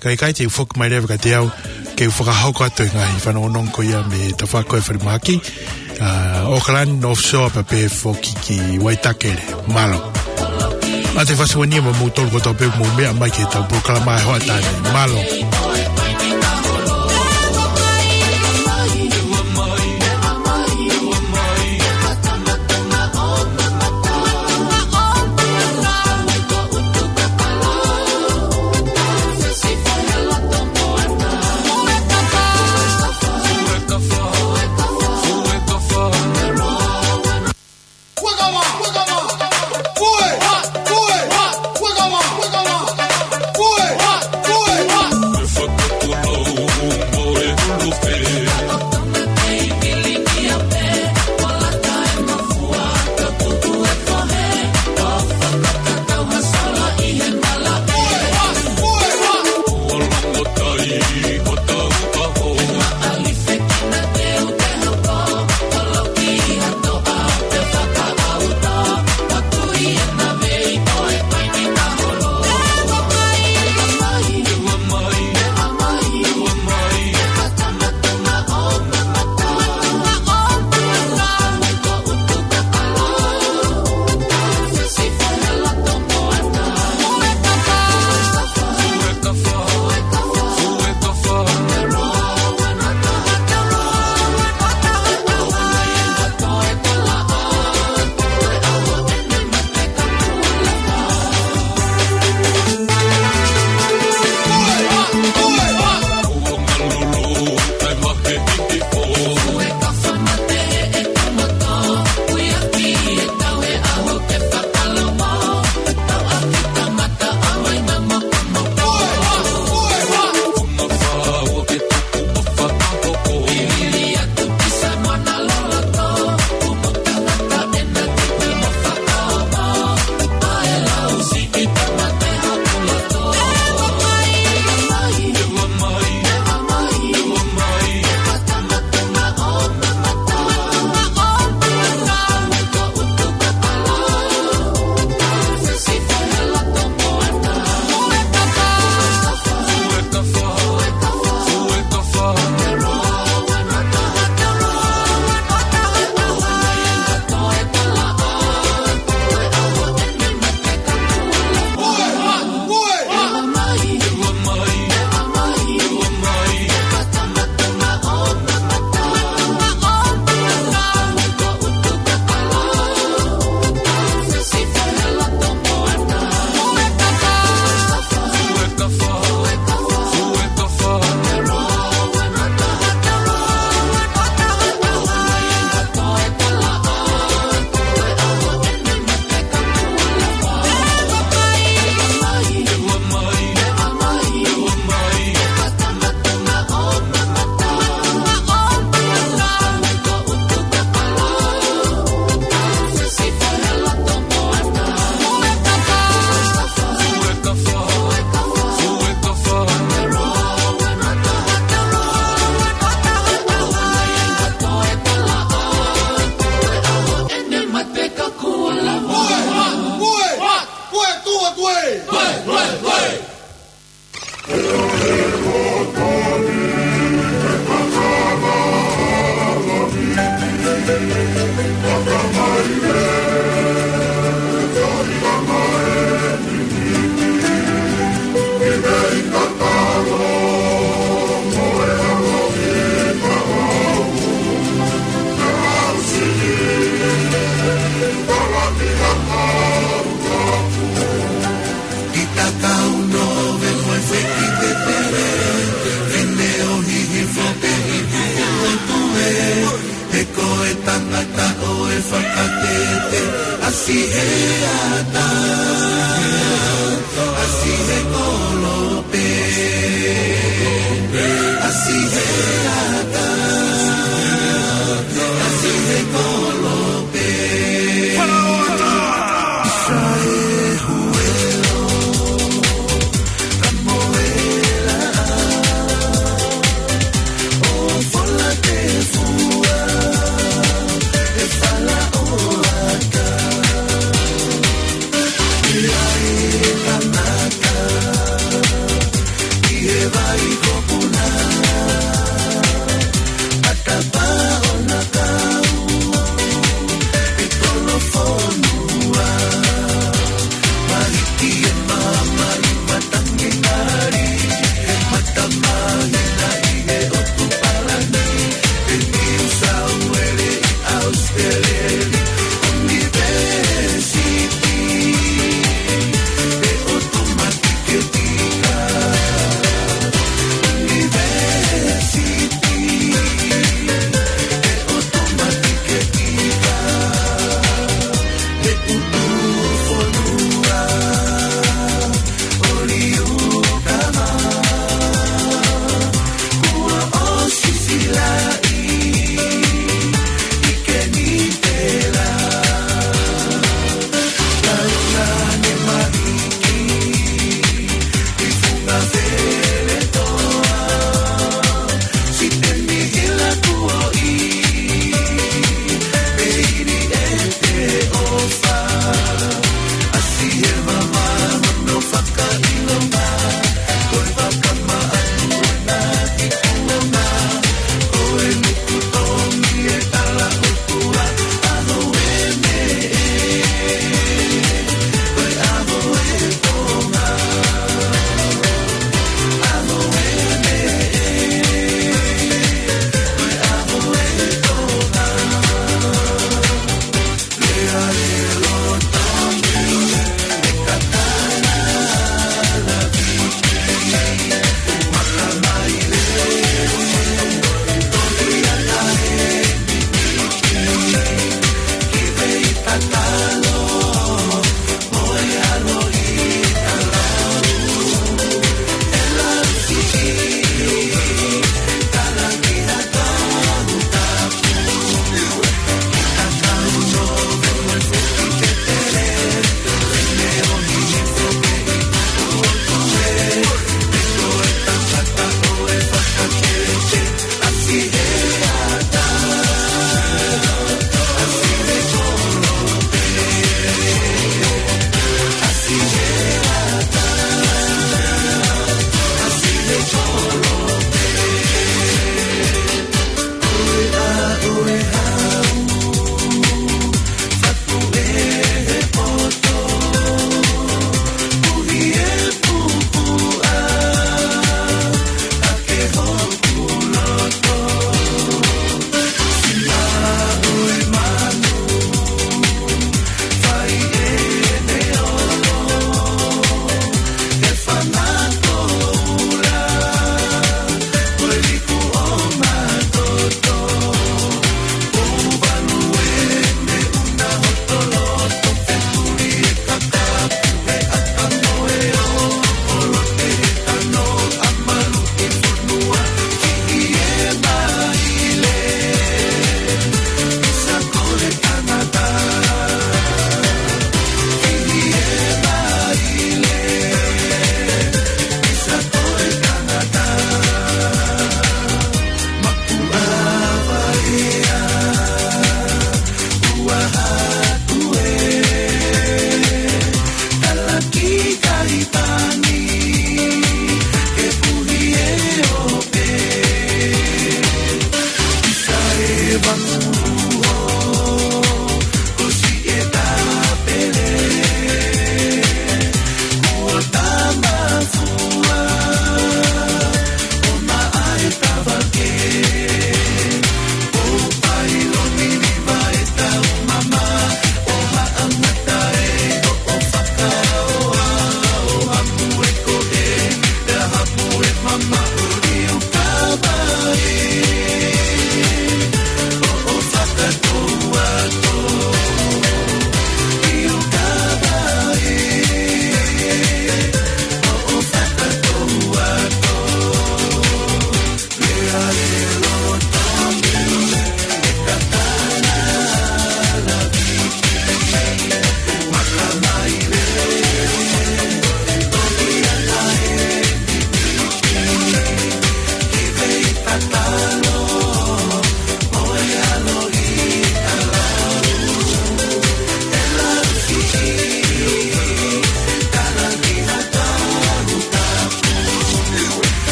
Ka ʻikai te u foki mai leva ka te au ke u fakahoko atu e ngaahi fanongonongo ko ia mei he tafaʻaki ko ē falemahaki. ʻA, Auckland, North Shore, pea pehē foki ki Waitakere. Mālō. Mate Fasiuania mo moutolu kotoa pē mou meʻa mai ki he tau polokalama ʻa e hoʻatā ni. Mālō.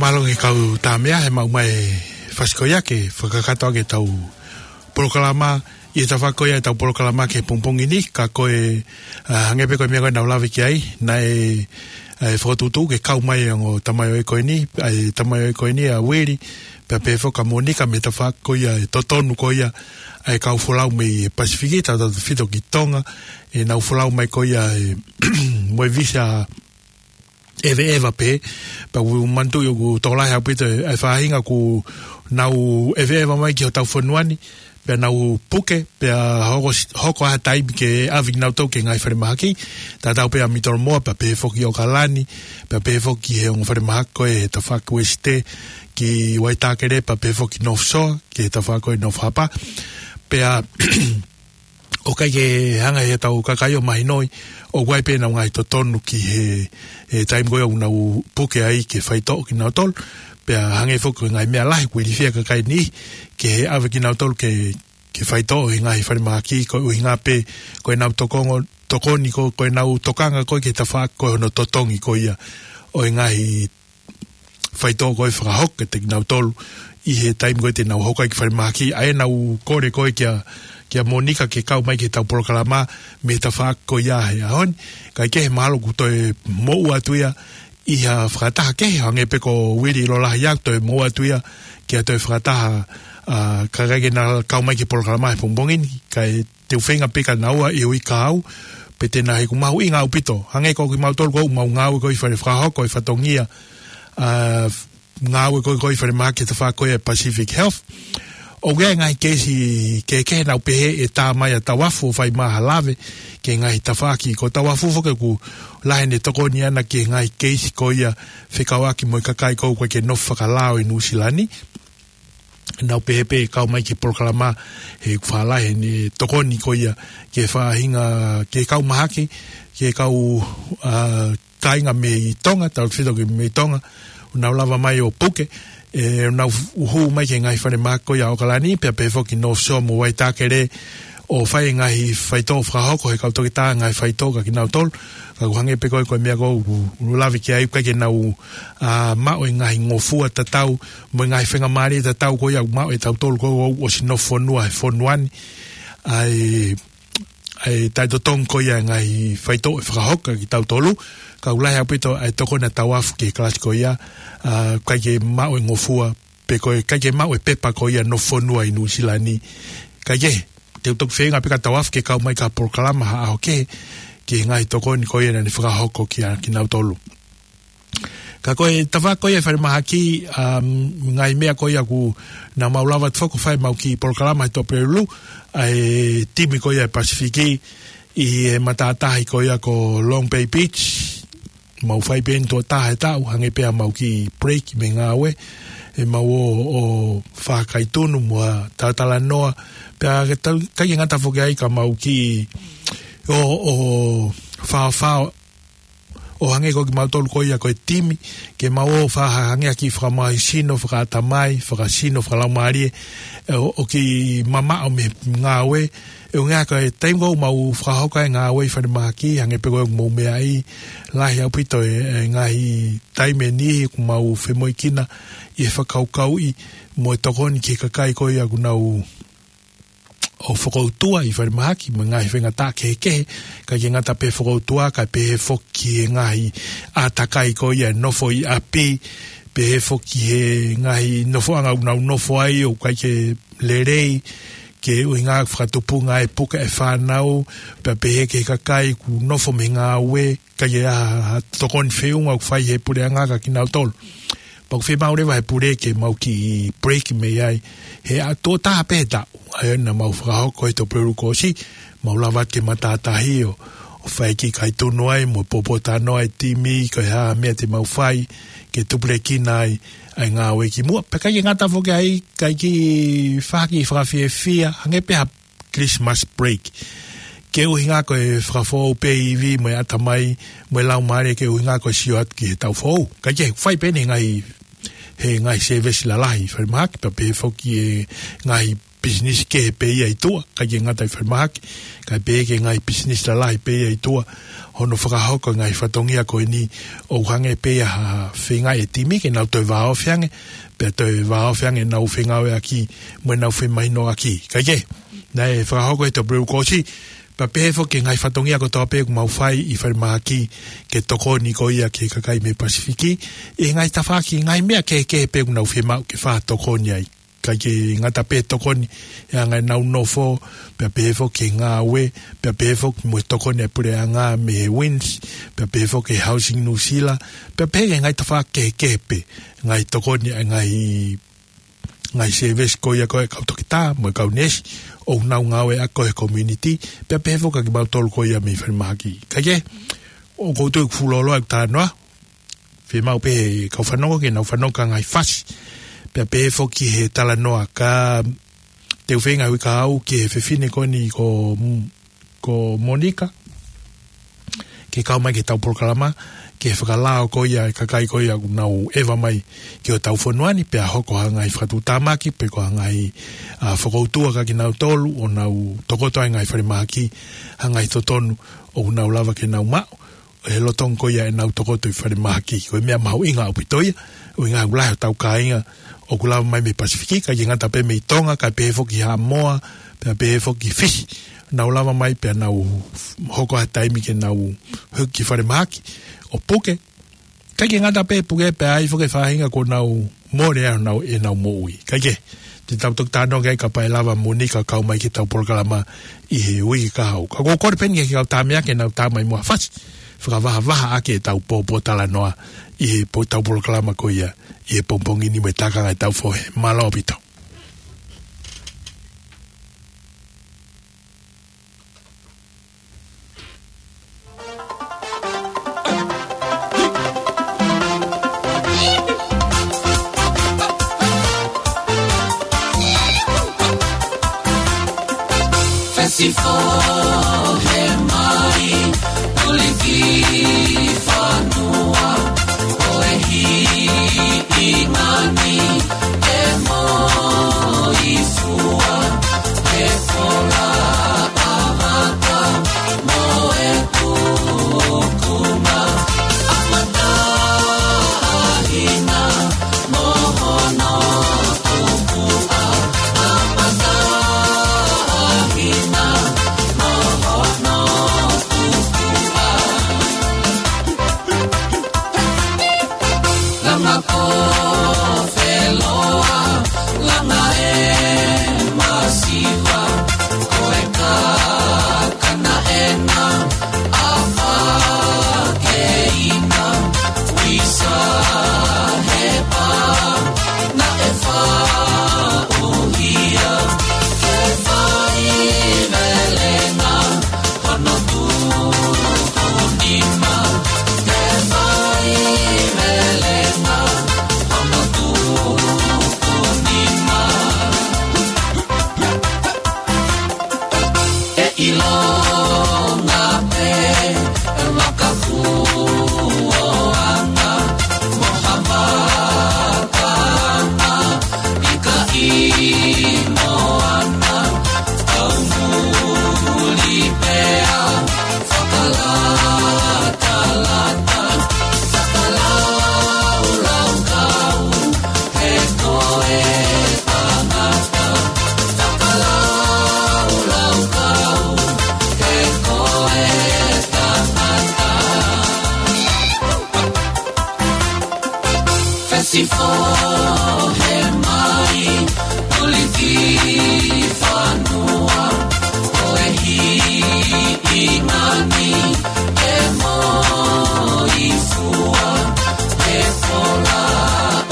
Mālō e kau Tāmea, he maʻu mai e fasi ko ia ke fakakakato ʻaki ʻetau polokalama, ʻi he tafaʻaki ko ia ʻetau polokalama ki he pongipongi ni, ka ko e, ʻa, hangē pē ko e meʻa ko ē naʻa ku lave ki ai, naʻe, ʻa, fokotuʻutuʻu ke kau mai ʻa e ongo tamaioʻeiki ko eni, ʻa e tamaioʻeiki ko eni ʻa Uili, pea pehē foki kia Monica mei he tafaʻaki ko ia ʻe totonu ko ia, ʻa e kau folau mei he Pasifiki, tautautefito ki Tonga, ʻenau folau mai ko ia ʻe, mo e visa ʻeveʻeva pē, pea ʻoku ou manatuʻi ʻoku tokolahi ʻaupito e, e faʻahinga ʻoku nau ʻeveʻeva mai ki hotau fonua ni, pea nau puke, pea hoko, hoko ha taimi ke ʻave kinautolu ki he ngaahi falemahaki, tatau pē ʻa Mitolomoa, pea pehē foki ʻOkalani, pea pehē foki he ongo falemahaki ko ē he tafaʻaki Uesite, ki Waitākere, pea pehē foki North Shore, ki he tafaʻaki ko ē North Harbour. Pea ʻoku ʻikai ke hanga ʻe heʻetau kakai ʻo mahinoʻi ʻoku ʻi ai pē ʻenau ngaahi totonu ki he, he taimi ko ia ʻoku nau puke ai ke faitoʻo kinautolu. Pea hangē foki ko e ngaahi meʻa lahi ʻoku ilifia e kakai ni ke ʻave kinautolu ke, ke faitoʻo he ngaahi falemahaki, ko e ʻuhinga pē ko ʻenau tokongo, tokoni ko, ko ʻenau tokanga ko ē ki he tafaʻaki ko ē hono totongi ko ia ʻo e ngaahi faitoʻo ko ē fakahoko kiate kinautolu ʻi he taimi ko ē te nau hoko ai ki falemahaki, ʻa ʻenau kole ko ē kia, kia Monica ke kau mai ki heʻetau polokalama mei he tafaʻaki ko ia he ʻaho ni. Kae kehe mahalo ʻoku toe moʻua atu ia ʻi ha fakataha kehe, hangē pē ko Uili ʻiloa lahi ʻoku toe moʻua atu ia ki ha toe fakataha, ʻa, kae ʻikai ke na kau mai ki he polokalama he pongipongi ni, kae te u feinga pē kia naua ʻi he uike kahaʻu, pea te na hoko mahuʻinga ʻaupito. Hangē ko kimautolu ʻoku mau ngāue ko ē ʻi fale fakahoko e fatongia, ʻa, ngāue ko ē ʻi falemahaki he tafaʻaki ko ē Pacific Health. ʻOku ʻi ai e ngaahi keisi kehekehe naʻa nau pehē ʻe tā mai ʻa Tauafu ʻo fai mai ha lave ki he ngaahi tafaʻaki. Ko Tauafu foki ʻoku lahi ʻene tokoni ʻana ki he ngaahi keisi ko ia fekauʻaki mo e kakai ko ē ʻoku ʻikai ke nofo fakalao ʻi Nuʻusila ni. Naʻa nau pehē pē kau mai ki he polokalama he ʻoku faʻa lahi ʻene tokoni ko ia ki he faʻahinga, ki he kau mahaki, ki he kau, ʻa, kāinga mei Tonga, tautautefito ki mei Tonga, ʻoku nau lava mai ʻo puke, ʻe, ʻoku nau hū mai ki he ngaahi falemahaki ko ia ʻOkalani, pea pehē foki North Shore mo Waitākere, ʻo fai e ngaahi faitoʻo fakahoko he kau toketā ngaahi faitoʻo kia kinautolu, ka ʻoku hangē pē ko e, ko e meʻa ko ē ʻoku, ʻoku lave ki ai ʻoku ʻikai ke nau, ʻa, maʻu e ngaahi ngofua tatau, mo e ngaahi faingamālie tatau ko ia ʻoku maʻu ʻe tautolu ko ē ʻoku ʻosi nofo fonua he fonua ni, ʻa e, ʻa e taʻetotongi ko ia e ngaahi faitoʻo ʻe fakahoko kia kitautolu, ka ʻoku lahi ʻaupito ʻa e tokoni ʻa Tauafu ki he kalasi ko ia, ʻa, ʻikai ke maʻu e ngofua, pe ko e ʻikai ke maʻu e pepa ko ia nofo fonua ʻi Nuʻusila ni. Kae kehe, te u toki feinga pē kia Tauafu ke kau mai ki ha polokalama ha ʻaho kehe, ki he ngaahi tokoni ko ia naʻa ne fakahoko kia kinautolu. Ka ko e tafaʻaki ko ia e falemahaki, um, ngaahi meʻa ko ia ʻoku nau mau lava atu foki ʻo fai ʻemau kiʻi polokalama he Tuʻapulelulu, ʻa e timi ko ia e Pasifiki, ʻi he matātahi ko ia ko Long Bay Beach, mau fai pē eni tuʻo taha he taʻu, hangē pē ʻemau kiʻi break mei he ngāue, ʻemau ō, ō fakaitunu mo ha talatalanoa, pea ʻikai ke ta-, ʻikai ke ngata foki ai ka mau kiʻi ō, ō faofao, ʻo hangē ko kimautolu ko ia ko e timi, ke mau ō fakahangē ha kiʻi fakamālohisino, fakaʻatamai, fakasino, fakalaumālie, ʻo, ʻo kiʻi mamaʻo mei he ngāue, ʻuhinga ko e taimi ko ē ʻoku mau fakahoko ai e ngāue ʻi falemahaki, hangē pē ko ʻemau meʻa ʻi, lahi ʻaupito e, e ngaahi taimi ʻe niʻihi ʻoku mau femoʻuekina ʻi he fakakaukauʻi mo e tokoni ki he kakai ko ia ʻoku nau ō fokoutua ʻi falemahaki, mo e ngaahi faingataʻa kehekehe, ʻikai ke ngata pē he fokoutua, kae pehē foki ki he ngaahi ʻātakai ko ia e nofo ʻi ʻapi, pehē foki ki he ngaahi nofoʻanga ʻoku nau nofo ai ʻoku ʻikai ke lelei, ke ʻuhinga fakatupunga e puke e fānau, pea pehē ki he kakai ʻoku nofo mei he ngāue, ʻikai ke ʻi ai ha, ha tokoni feʻunga ʻoku fai ʻe he puleʻanga kia kinautolu. Pea ʻoku fiemaʻu leva ʻe he pule ke mau kiʻi break mei ai. He ʻa tuʻo taha pē he taʻu, ʻa ia naʻa mau fakahoko he Tuʻapulelulu kuo ʻosi, mau lava atu ki he matātahi ʻo, ʻo fai e kiʻi kaitunu ai, mo e poupou talanoa e timi, ko e hā e meʻa te mau fai, ke tupulekina ai, ʻa e ngāue ki muʻa. Pea ʻikai ke ngata foki ai, ʻikai ke fai ha kiʻi fakafiefia, hangē pē ha Christmas break. Ke ʻuhinga ko e fakafoʻou pē e ivi mo e ʻatamai, mo e laumālie ke ʻuhinga ko e sio atu ki he taʻu foʻou. Kae kehe, fai pē eni he ngaahi, he ngaahi sēvesi lalahi, falemahaki, pea pehē foki e ngaahi pisinisi kehe pē ia ʻi tuʻa, ʻikai ke ngata ʻi falemahaki, kae pehē ki he ngaahi pisinisi lalahi pē ia ʻi tuʻa, hono fakahoko e ngaahi fatongia ko eni ʻoku hangē pē ia ha feinga e timi ke nau toe vāofi ange, pea toe vāofi ange ʻenau fengāueʻaki mo ʻenau femahinoʻaki. Kae kehe, naʻe fakahoko ʻi he taʻu pē kuo ʻosi, pea pehē foki ki he ngaahi fatongia kotoa pē ʻoku mau fai ʻi falemahaki ke tokoni ko ia ki he kakai mei Pasifiki, ʻi he ngaahi tafaʻaki, ngaahi meʻa kehekehe pē ʻoku nau fiemaʻu ke fakatokoni ai. ʻIkai ke ngata pē tokoni he anga ʻenau nofo, pea pehē foki ki he ngāue, pea pehē foki mo e tokoni ʻa e puleʻanga mei he WINZ, pea pehē foki ki he Housing New Zealand, pea pehē ki he ngaahi tafaʻaki kehekehe pē, ngaahi tokoni ʻa e ngaahi, ngaahi service ko ia ko e kau toketā, mo e kau neesi, ʻoku nau ngāueʻaki ʻi he community, pea pehē foki kimautolu ko ia mei falemahaki. Kae kehe, ʻoku ou tui ʻoku fuʻu lōloa ʻeku talanoa, fiemaʻu pē he kau fanongo ke nau fanongo ki he ngaahi fasi. Pea pehē foki he talanoa ka te u feinga hui ka au ki he fefine ko eni ko, ko Monica. Ke kau mai ki heʻetau polokalama, ke fakalao ko ia e kakai ko ia ʻoku nau ʻeva mai ki hotau fonua ni, pea hoko ha ngaahi fakatuʻutāmaki, pe ko ha ngaahi, ʻa, fokoutua kia kinautolu, ʻo nau tokoto ai ngaahi falemahaki, ha ngaahi totonu, ʻoku nau lava ke nau maʻu, he lolotonga ko ia ʻenau tokoto ʻi falemahaki. Ko e meʻa mahuʻinga ʻaupito ia, ʻuhinga ʻoku lahi hotau kāinga ʻoku lava mai mei Pasifiki, ʻikai ke ngata pē mei Tonga, kae pehē foki Haʻamoa, pea pehē foki Fisi. Nau lava mai pea nau hoko ha taimi ke nau hiki falemahaki, ʻo puke. ʻIkai ke ngata pē puke pea ʻi ai foki e faʻahinga kuo nau mole ai honau, ʻenau moʻui. Kae kehe, te tau toki talanoa ki ai kapau ʻe lava Monica kau mai ki heʻetau polokalama ʻi he uike kahaʻu. Ka ʻoku ou kole pē eni ki he kau tamaiki ke nau tā mai mo ha fasi, fakavahavahaʻaki ʻetau pōpōtalanoa ʻi heʻetau polokalama ko ia ʻi he pongipongi ni mo e tākanga ʻetau fohe. Mālō ʻaupito. Fesifohe mai, tuliki fanua, ʻo e hiʻi ngani, e moifua, e fola ʻavaka, mo e tukunga, ʻa Matahina, mo hono tukuʻa, ʻa Matahina, mo hono tukuʻa. Langa ko Feloa, langa e masiva, ko e kakana ena, ʻa Fakeina, ʻisa he pā, naʻe faʻuhia, ke faivelenga, hono tuku nima, ke faivelenga, hono tuku nima. ʻE ʻilonga pē, e makafuoanga, mo ha vakaanga, ʻikai moana, kau muli pea, fakalatalata, fakalaulaukau, he ko e tangata, fakalaulaukau, he ko e tangata. Fesifohe mai, tuliki fanua, ʻo e hiʻi ngani, e moifua, e fola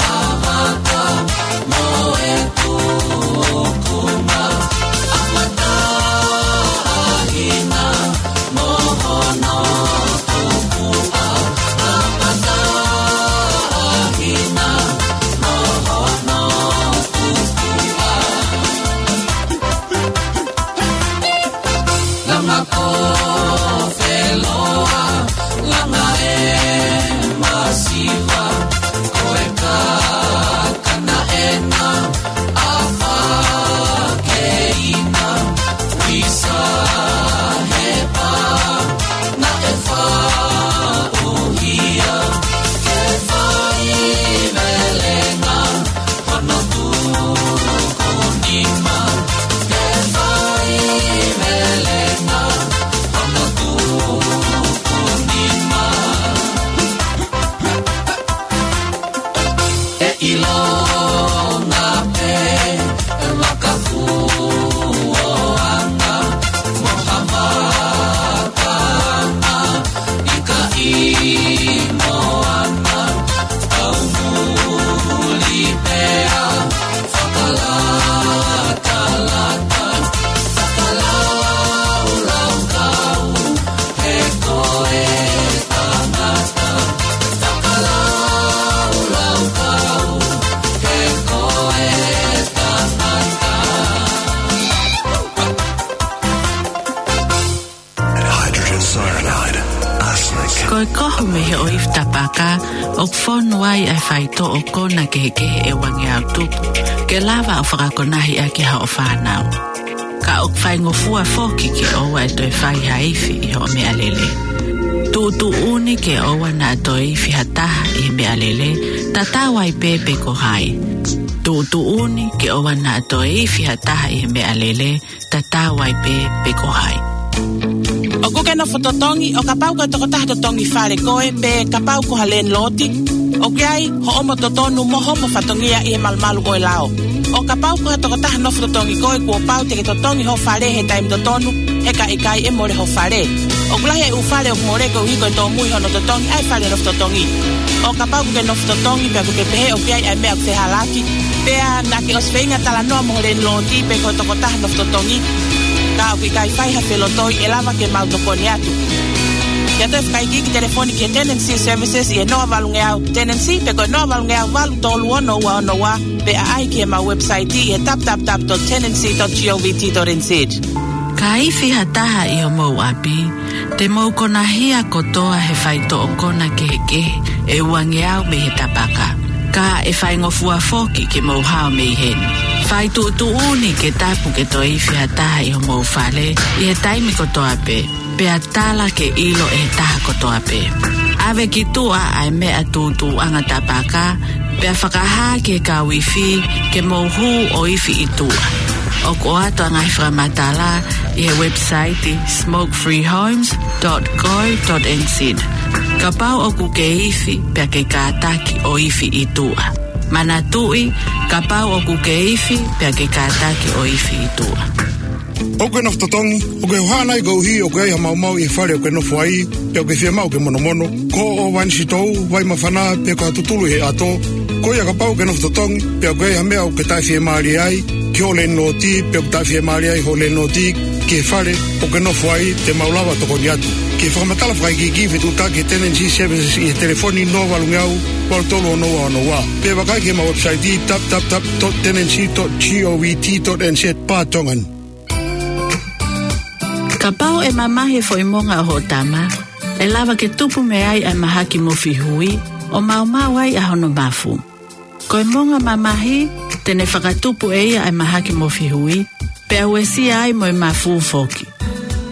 ʻavaka, mo e tukunga, ʻa Matahina, mo hono tukuʻa, ʻa Matahina, mo hono tukuʻa. Langa ko Feloa, langa e masiva, ko e kakana ena, ʻa Ko e kohu mei he ʻoifi tapaka, ʻoku fonu ai ʻa e faitoʻo kona kehekehe ʻe uangeau tupu, ke lava ʻo fakakonahi ʻaki hoʻo fānau. Ka ʻoku faingofua foki ke ʻoua ʻe toe fai ha ifi ʻi hoʻo meʻalele. Tuʻutuʻuni ke ʻoua naʻa toe ifi ha taha ʻi he meʻalele, tatau ai pē pe ko hai. Tuʻutuʻuni ke ʻoua naʻa toe ifi ha taha ʻi he meʻalele, tatau ai pē pe ko hai. ʻOku ke nofo totongi, ʻo kapau ko e tokotaha totongi fale koe, pe kapau ko ha lēniloti, ʻoku ʻi ai hoʻomo totonu mo hoʻomo fatongia ʻi he malumalu ʻo e lao. ʻO kapau ko ha tokotaha nofo totongi koe, kuo pau te ke totongi ho fale he taimi totonu, he ka ʻikai ʻe mole ho fale. ʻOku lahi e ʻū fale ʻoku mole koeʻuhi ko e tōmui hono totongi ʻa e fale nofo totongi. ʻO kapau ʻoku ke nofo totongi pea ʻoku ke pehē ʻoku ʻi ai ʻa e meʻa ʻoku fehālaaki, pea naʻa ke ʻosi feinga talanoa mo ho lēniloti pe ko e tokotaha nofo totongi, ka ʻoku ʻikai fai ha felotoi, ʻe lava ke mau tokoni atu. Ke ʻoatu e fakaikiiki telefoni ki he Tenancy Services ʻi he noa valungeau Tenancy pe ko e noa valungeau valu tolu ono ua ono ua, pe ʻaʻahi ki heʻemau website ʻi he w w w dot tenancy dot govt dot n z. Ka ifi ha taha ʻi homou ʻapi, te mou konahia kotoa he faitoʻo kona kehekehe ʻe uangeau mei he tapaka. Ka ʻe faingofua foki ke mou hao mei heni. Fai tuʻutuʻuni ke tapu ke toe ifi ha taha ʻi homou fale ʻi he taimi kotoa pē, pea tala ke ʻilo ʻe he taha kotoa pē. ʻAve ki tuʻa ʻa e meʻa tūtuuʻanga tapaka, pea fakahā ki he kau ifi ke mou hū ʻo ifi ʻi tuʻa. ʻOku ʻoatu ʻa e ngaahi fakamatala ʻi he website smoke free homes dot co dot n z. Kapau ʻoku ke ifi pea ke kātaki ʻo ifi ʻi tuʻa. Manatuʻi, kapau ʻoku ke ifi pea ke kātaki ʻo ifi ʻi tuʻa. ʻOku ke nofo totongi, ʻoku ke hohaʻa nai koeʻuhi ʻoku ʻi ai ha maumau ʻi he fale ʻoku ke nofo ai, pe ʻoku ke fiemaʻu ke monomono, ko hoʻo ʻōvani sitou, vai māfana, pe ko ha tutulu ʻi he ʻato? Ko ia, kapau ʻoku ke nofo totongi, pe ʻoku ʻi ai ha meʻa ʻoku ke taʻefiemālie ai ki hoʻo lēniloti, pe ʻoku taʻefiemālie ai hoʻo lēniloti ki he fale ʻoku ke nofo ai, te mau lava ʻo tokoni atu. Ki he fakamatala fakaikiiki, fetuʻutaki ki he Tenancy Services ʻi he telefoni noa valungeau valu tolu ono ua ono ua. Pe vakai ki heʻemau website, w w w dot tenancy dot govt dot n z barra tongan. Kapau ʻe mamahi e foʻi monga ʻo hoʻo tama, ʻe lava ke tupu mei ai ʻa e mahaki mofihui, ʻo maumau ai ʻa hono mafu. Ko e monga mamahi, te ne fakatupu ʻe ia ʻa e mahaki mofihui, pea uesia ai mo e mafu foki.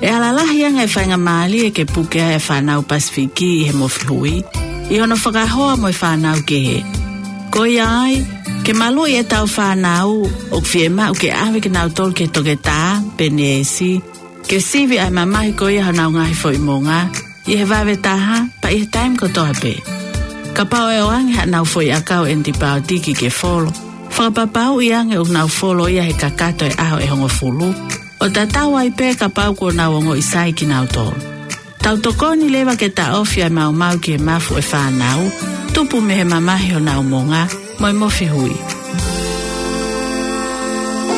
ʻE ala lahi ange e faingamālie ke puke ai ʻa e fānau Pasifiki ʻi he mofihui, ʻi hono fakahoa mo e fānau kehe. Ko ia ai, ke maluʻi ʻetau fānau, ʻoku fiemaʻu ke ʻave kinautolu ki he toketā pe neesi, ke sivi ʻa e mamahi ko ia honau ngaahi foʻi monga, ʻi he vave taha, pea ʻi he taimi kotoa pē. Kapau ʻe ʻoange haʻanau foʻi ʻakau ʻenipaotiki ke folo, fakapapauʻi ange ʻoku nau folo ia he kakato e ʻaho ʻe hongofulu, ʻo tatau ai pē kapau kuo nau ongoʻi sai kinautolu. Tau tokoni leva ke taʻofi ʻa e maumau ki he mafu ʻo e fānau, tupu mei he mamahi honau monga, mo e mofihui.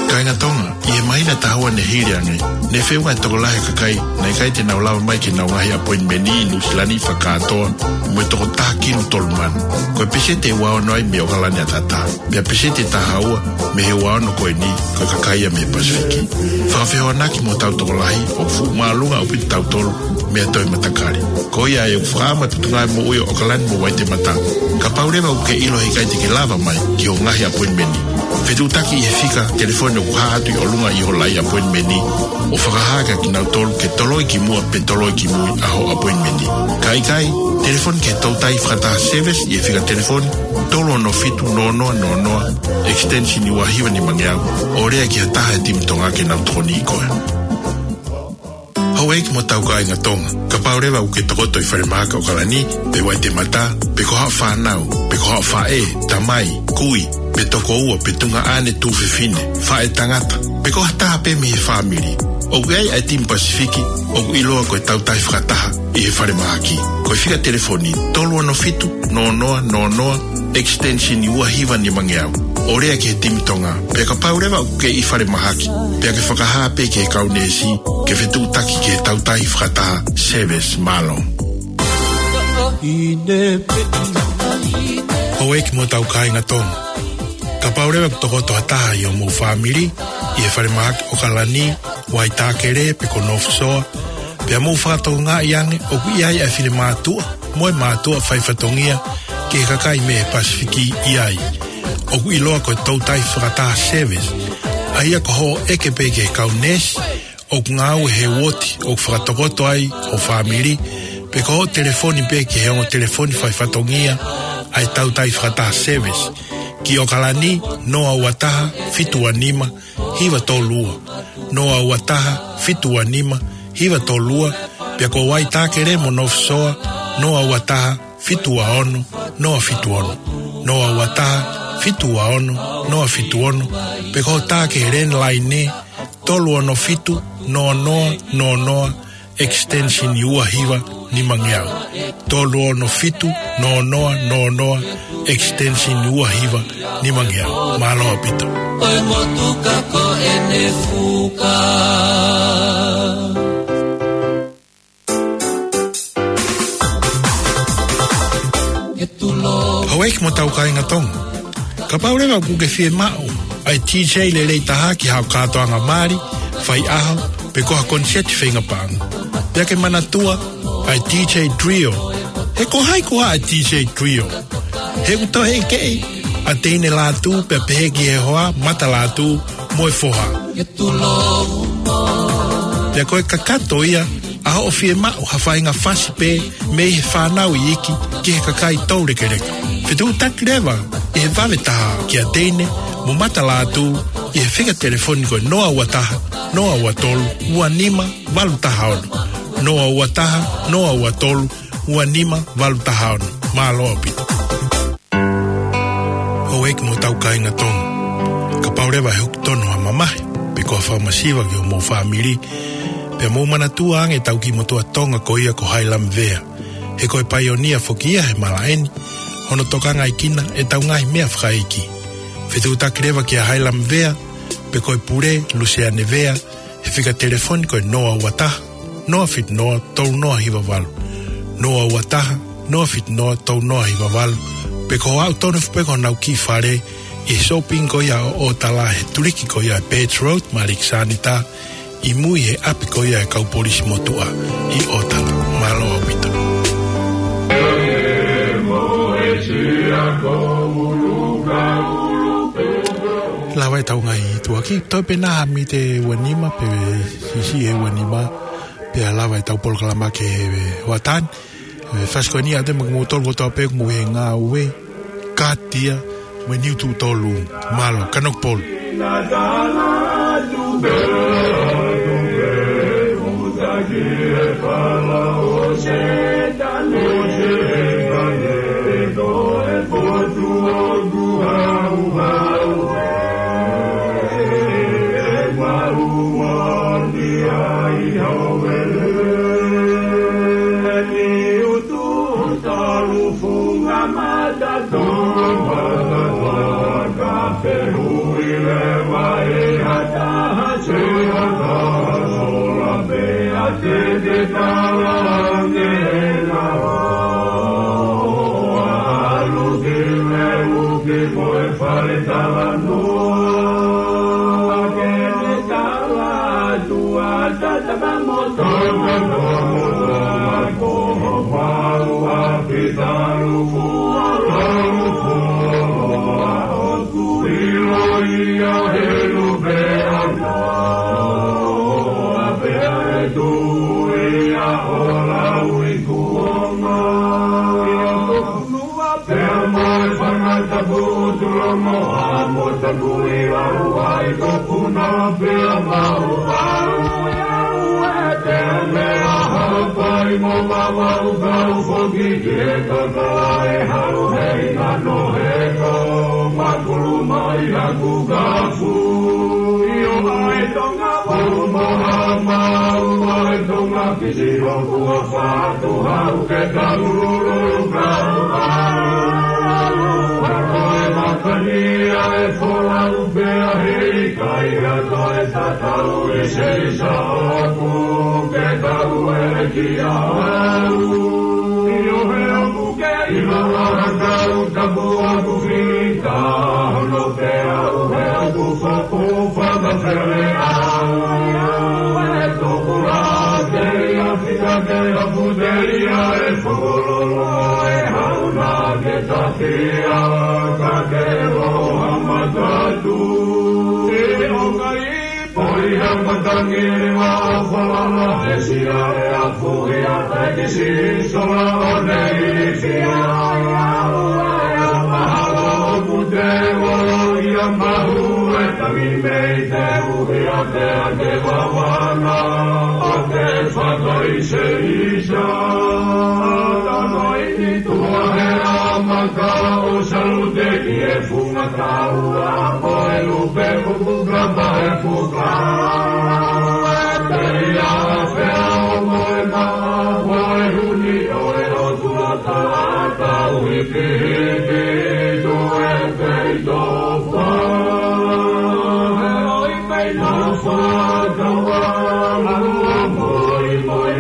Kāinga Tonga, ʻi he māhina ʻe taha ua ne hili ange, ne feʻunga e tokolahi e kakai naʻe ʻikai te nau lava mai ki heʻenau ngaahi appointment ʻi Nuʻu Sila ni fakakātoa mo e toko taha kilu tolu mano. Ko e peseti ʻe ua ono ai mei ʻOkalani ʻAtatā. Pea peseti ʻe taha ua mei he ua ono ko eni, ko e kakai ia mei he Pasifiki. Fakafehoanaki mo hotau tokolahi, ʻoku fuʻu māʻolunga ʻaupito tautolu mei ha toe matakali. Ko ia ʻoku ou fakaʻamu atu ki he ngaahi moʻui ʻo ʻOkalani mo Uaitemata. Kapau leva ʻoku ke ʻilo he ʻikai te ke lava mai ki hoʻo ngaahi appointment, fetuʻutaki ʻi he fika telefoni ʻoku hā atu ʻi ʻolunga ʻi hoʻo lai appointment, ʻo fakahā kia kinautolu ke toloi ki muʻa pe toloi ki mui ʻa hoʻo appointment. Ka ʻikai, telefoni ki he toutai fakataha Service ʻi he fika telefoni tolu ono fitu noa noa noa noa, extension ua hiva nima ngeau, ʻo lea ki ha taha he timi Tonga ke nau tokoniʻi koe. Houʻeiki mo hotau kāinga Tonga, kapau leva ʻoku ke tokoto ʻi falemahaki ʻOkalani, pe Uaitemata, pe ko haʻo fānau, pe ko haʻo faʻē, tamai, kui, pe tokoua, pe tuongaʻane, tuofefine, faʻētangata, pe ko ha taha pē mei he fāmili, ʻoku ʻi ai ʻa e timi Pasifiki ʻoku ʻiloa ko e Tautai Fakataha ʻi he falemahaki. Ko e fika telefoni tolu ono fitu noa noa noa noa, extension ua hiva nima ngeau, ʻo lea ki he timi Tonga. Pea kapau leva ʻoku ke ʻi falemahaki, pea ke fakahā pē ki he kau neesi ke fetuʻutaki ki he Tautai Fakataha Service. Mālō. Houʻeiki mo hotau kāinga Tonga, kapau leva ʻoku tokoto ha taha ʻi homou fāmili ʻi he falemahaki ʻOkalani, Waitākele pe ko North Shore, Pea mou fakatokangaʻi ange ʻoku ʻi ai ʻa e finemātuʻa mo e mātuʻa faifatongia ki he kakai mei he Pasifiki ʻi ai. ʻOku ʻiloa ko e toutai fakataha service, ʻa ia ko hoʻo ʻeke pē ki he kau neesi ʻoku ngāue he uooti ʻoku fakatokoto ai ho fāmili, pe ko hoʻo telefoni pē ki he ongo telefoni faifatongia ʻa e toutai fakataha service, ki ʻOkalani, noa ua taha, fitu ua nima, hiva tolu ua, noa ua taha, fitu ua nima, hiva tolu ua, pea ko Waitākere mo North Shore, noa ua taha, fitu ua ono, noa fitu ono, noa ua taha, fitu ua ono, noa fitu ono, pe ko e tā ki he landline, tolu ono fitu, noa noa, noa noa, extension ua hiva nima ngeau. Tolu ono fitu, noa noa, noa noa, extension ua hiva nima ngeau. Mālō ʻaupito. Ko e motuka ko ʻene fuka. Houʻeiki mo tau kāinga Tonga. Kapau leva ʻoku ke fiemaʻu ʻa e D J lelei taha ki haʻo kātoanga mali, faiʻaho, pe ko ha koniseti feinga paʻanga. Pea ke manatua ʻa e D J Trio. He ko hai koā ʻa e D J Trio? He ʻoku toe ʻeke ʻa Teine Lātū pea pehē ki he hoa, Mata Lātū mo e foha. Pea ko e kakato ia ʻa hoʻo fiemaʻu ha faʻahinga fasi pē mei he fānau iiki ki he kakai toulekeleka. Fetuʻutaki leva ʻi he vave taha kia Teine mo Mata Lātū ʻi he fika telefoni ko e noa ua taha, noa ua tolu, ua nima valu taha ono. Noa ua taha, noa ua tolu, ua nima valu taha ono. Mālō ʻaupito. Houʻeiki mo tau kāinga Tonga. Kapau leva ʻe hoko tonu ha mamahi, pe ko ha fakamasiva ki homou fāmili, pea mou manatua ange ʻetau kiʻi motuʻa Tonga ko ia ko Hailami Vea. He ko e paionia foki ia he malaʻe ni, hono tokangaʻi kinautolu ʻe heʻetau ngaahi meʻa fakaʻeiki. Fetuʻutaki leva kia Hailami Vea, pe ko e pule, Luseane Vea, he fika telefoni ko e noa ua taha, noa fitu noa, tolu noa hiva valu. Noa ua taha, noa fitu noa, tolu noa hiva valu. Pe ko e aʻu tonu foki pē ki honau kiʻi fale ʻi he shopping ko ia ʻo ʻOtala he tuliki ko ia ʻa e Birch Road, Malik Sanita, ʻi mui he ʻapi ko ia ʻa e kau polisi motuʻa ʻi ʻOtala. Mālō ʻaupito. Lava ʻetau ngaahi tuʻuaki, toe pē naha mīniti ʻe ua nima, pe siʻisiʻi ʻe ua nima, pea lava ʻetau polokalama ki he hoʻatā ni. ʻE, fasi ko eni ʻa te maku mou tolu kotoa pē ʻoku mou ʻi he ngāue, kātia, mo e niu tuʻu tolu, mālō, Kanokupolu. Pea mo e fanga tapu tulo mo a mo tapu i lau ai ko puna pea mau au e au e pea me a hau pai mo ma mau kau foki ki e kakala e hau he ina no he ko makulu mai a ku kafu i o ai Tonga pau mo a mau ai Tonga Kisi o kua fatu hau ke kaululu kau au. Ko e makani a e folau pea hei kai a ko e tatau e seisa o ku ke kau e ki a au. I o he o ku ke i lala kau tapu a ku fita hono pea u he o ku faku faka fere au. E toku la te i a Ka putelia e fokololo e hauna ke takia ka ke loha matatu. E o kai poi ha matangi ni ma falala e sia e a puhi a taikisi sola o nei sia e a ua e a mahalo pute o ia mahu e tangi mei te uhi a te a te wawana o te fakai se Sātano i ni tuha he amaka o Salute ki he funga taua ko e lupe kuku kapa he puka. Te ia fea o moe ma ko e huni o e o tua tata ui ki hiki tu e pei tofa. Oi pei tofa taua lua moi moi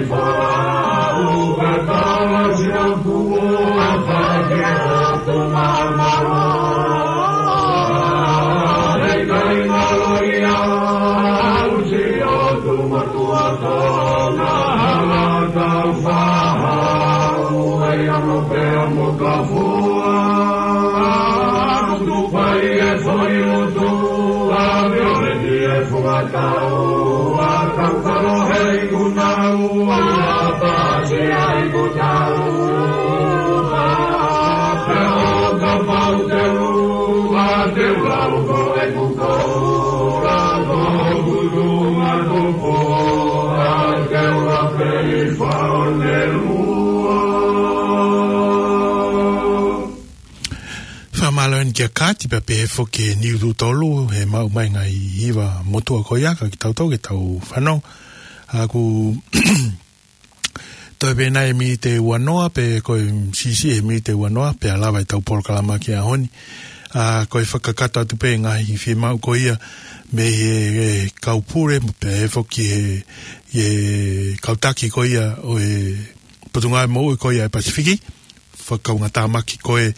Ua tau kalo hei kuna ua pasi ai kuna ua. Pea o ka pau te ua te ua uko e kuko ua ko kuku ma kuko a te ua pei fao ne lua. Fakamālō eni kia Kati pea pehē foki ki he Niututolu, he maʻu mai ngaahi hiva motuʻa ko ia, ka kitautolu ke tau fanongo. ʻA ʻoku toe pē nai e miniti ua noa, pe ko e siʻisiʻi he miniti ua noa, pea lava ʻetau polokalama ki he ʻaho ni. ʻA, ko e fakakakato atu pē ngaahi fiemaʻu ko ia, mei he, he kau pule, pea pehē foki he, he kau taki ko ia ʻo e Potungāue Moʻui ko ia ʻa e Pasifiki. Fakakaungātāmaki ko ē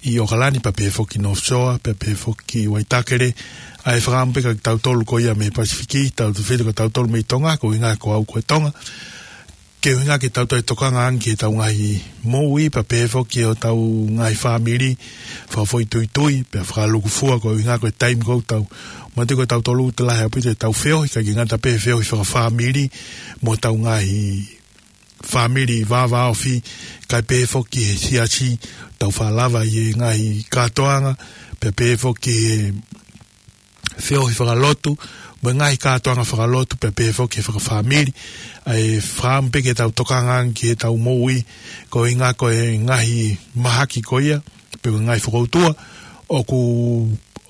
ʻi ʻOkalani, pea pehē foki North Shore, pea pehē foki Waitakere, ʻa e fakaʻamu pē kia kitautolu ko ia mei Pasifiki, tautefito kia kitautolu mei Tonga, ko e ʻuhinga ko au ko e Tonga. Ke ʻuhinga ke tau toe tokanga ange ki heʻetau ngaahi moʻui, pea pehē foki hotau ngaahi fāmili, fakafoʻituitui, pea fakalūkufua, ko e ʻuhinga ko e taimi ko ē ʻoku tau, manatuʻi ko tautolu ʻoku lahi ʻaupito ʻetau feohi, ʻikai ke ngata pē he feohi fakafāmili, mo ʻetau ngaahi fāmili vāvāofi, kae pehē foki he siasi, tau fakalava ʻi he ngaahi kātoanga, pea pehē foki he feohi fakalotu, mo e ngaahi kātoanga fakalotu, pea pehē foki he fakafāmili, ʻa e fakaʻamu pē ke tau tokanga ange ki heʻetau moʻui, ko e ʻuhinga ko e ngaahi mahaki ko ia, pe ko e ngaahi fokoutua, ʻoku,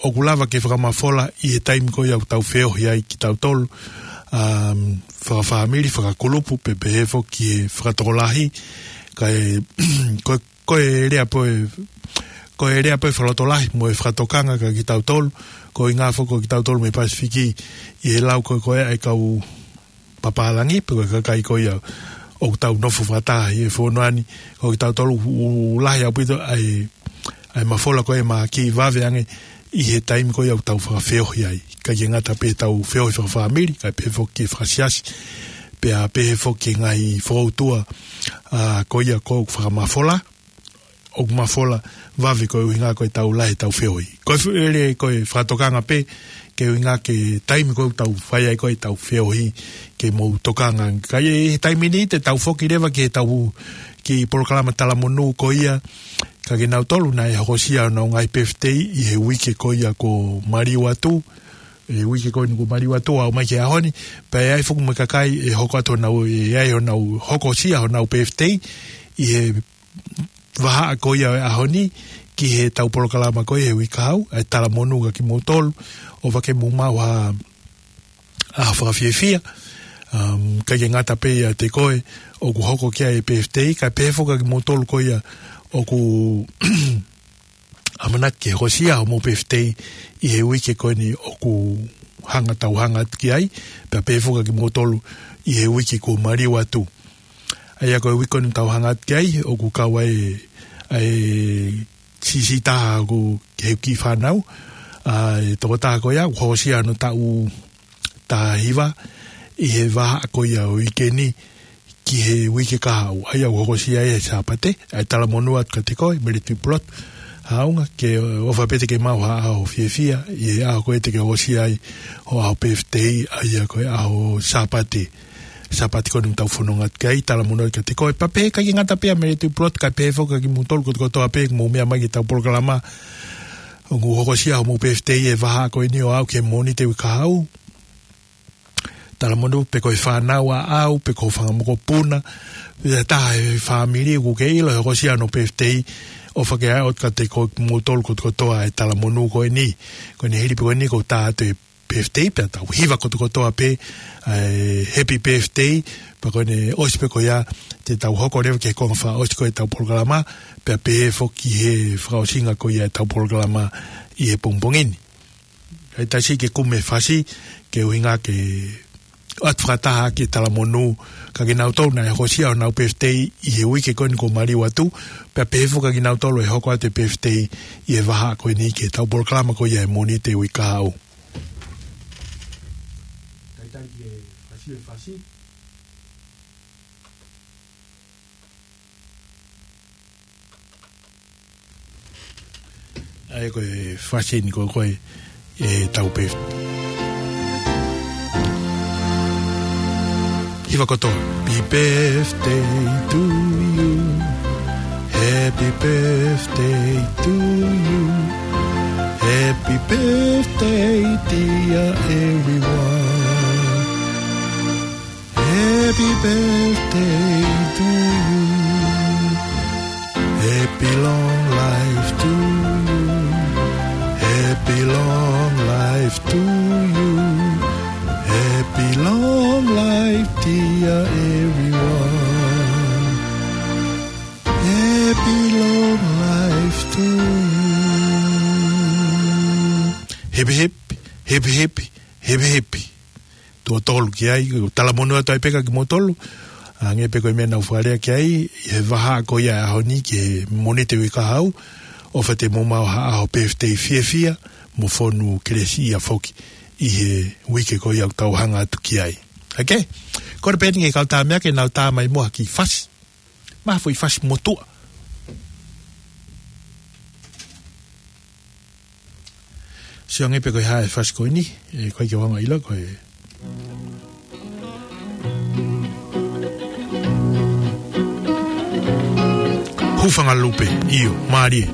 ʻoku lava ke fakamafola ʻi he taimi ko ia ʻoku tau feohi ai kitautolu, um, fakafāmili, fakakulupu, pea pehē foki he fakatokolahi, kae, ko, ko e lea pē, ko e lea pē fakalotolahi, mo e fakatokanga kia kitautolu, ko e ʻuhinga foki ko kitautolu mei Pasifiki, ʻi he lau ko ē ko ē ʻa e kau papālangi, pe ko e kakai ko ia ʻoku tau nofo fakataha ʻi he fonua ni, ko kitautolu ʻoku lahi ʻaupito ʻa e, ʻa e mafola ko ē mahaki vave ange ʻi he taimi ko ia ʻoku tau fakafeohi ai. ʻIkai ke ngata pē heʻetau feohi fakafāmili, kae pehē foki he fakasiasi, pea pehē foki he ngaahi fokoutua, ʻa, ko ia ʻoku fakamafola, ʻoku mafola vave ko e ʻuhinga ko ʻetau lahi ʻetau feohi. Ko e fu-, ʻele ko e fakatokanga pē, ke ʻuhinga ki he taimi ko ē ʻoku tau fai ai ko ē ʻetau feohi, ke mou tokanga. Ka ʻi he taimi ni te tau foki leva ki heʻetau kiʻi polokalama talamonū ko ia, ka kinautolu naʻe hokosia honau ngaahi pefitei ʻi he uike ko ia kuo maliu atu, ʻi he uike ko eni kuo maliu atu ʻo aʻu mai ki he ʻaho ni, pea ʻe ʻi ai foki mo e kakai ʻe hoko atu honau, ʻe ʻi ai honau hokosia honau pefitei, ʻi he vahaʻa ko ia ʻo e ʻaho ni, ki heʻetau polokalama ko ia he uike kahaʻu, ʻa e talamonū kia kimoutolu, ʻofa ke mou maʻu ha, ha fakafiefia, um, ʻikai ke ngata pē ʻiate koe, ʻoku hoko ki ai e pefitei, kae pehē foki kia kimoutolu ko ia, ʻoku ʻamanaki ke hokosia homou pefitei ʻi he uike ko eni ʻoku hanga tau hanga atu ki ai, pea pehē foki kia kimoutolu ʻi he uike kuo maliu atu. ʻA ia ko e uike ko eni tau hanga atu ki ai, ʻoku kau ai ʻa e siʻisiʻi taha ʻoku ke he kiʻi fānau, ʻa e tokotaha ko ia, ʻoku hokosia hono taʻu taha hiva, ʻi he vahaʻa ko ia ʻo e uike ni, ki he uike kahaʻu. ʻA ia ʻoku hokosia ai he Sāpate, ʻa e talamonū atu kiate koe, Mele Tuʻipulotu Haʻunga, ke ʻofa pē te ke maʻu ha ʻaho fiefia ʻi he ʻaho ko ē te ke hokosia ai ho ʻaho pēfitei, ʻa ia ko e ʻaho Sāpate. Sāpate ko eni ʻoku tau fononga atu ki ai, talamonū atu kiate koe. Pea pehē ʻikai ke ngata pē ia Mele Tuʻipulotu, kae pehē foki kia kimoutolu kotokotoa pē ʻoku mou meʻa mai ki heʻetau polokalama, ʻoku hokosia hoʻomou pēfitei he vahaʻa ko eni ʻo aʻu ki he Mōnite uike kahaʻu. Talamonū pe ko e fānau ʻaʻau, pe ko e fanga mokopuna, pe ha taha he fāmili ʻoku ke ʻilo ʻe hokosia hono pēfitei, ʻofa ke ʻai atu kiate kimoutolu kotokotoa e talamonū ko eni. Ko eni hili pē ko eni kuo tā atu e pēfitei, pea tau hiva kotokotoa pē ʻa e happy birthday, pea ko eni ʻosi pē ko ia te tau hoko leva ki he konga fakaʻosi ko ē ʻetau polokalama, pea pehē foki he fakaʻosinga ko ia ʻetau polokalama ʻi he pongipongi ni. Kae taʻe siʻi ke kumi e fasi, ke ʻuhinga ke ʻoatu fakataha ki he talamonū, kia kinautolu naʻe hokosia honau pēfitei ʻi he uike ko eni kuo maliu atu, pea pehē foki kia kinautolu ʻe hoko atu e pēfitei ʻi he vahaʻa ko eni ki heʻetau polokalama ko ia he Mōnite uike kahaʻu. Kae taʻe ke fasi e fasi. ʻA ia ko e fasi eni ko ē ʻetau pēfitei. Hiva kotoa. Happy birthday to you. Happy birthday to you. Happy birthday, dear everyone. Happy birthday to you. Happy long life to you. Happy long life to you. Happy long life, dear everyone. Happy long life to you. Hip, hip, hip, hip, hip, hip. Tuʻo tolu ki ai, talamonū atu ai pē kia kimoutolu, hangē pē ko e meʻa naʻa ku fakalea ki ai, he vahaʻa ko ia ʻaho ni ki he Mōnite uike kahaʻu, ʻofa te mou maʻu ha ʻaho pēfitei fiefia, mo fonu kelesiʻia foki ʻi he uike ko ia ʻoku tau hanga atu ki ai. Okay? Kole pē eni ki he kau tama ke nau tā mai mo ha kiʻi fasi. Maʻu ha foʻi fasi motuʻa. Sio ange pē ko e hā e fasi ko eni, ʻe, ko e ke wanga ila ko e. Hūfanga Lupe, ʻio, mālie.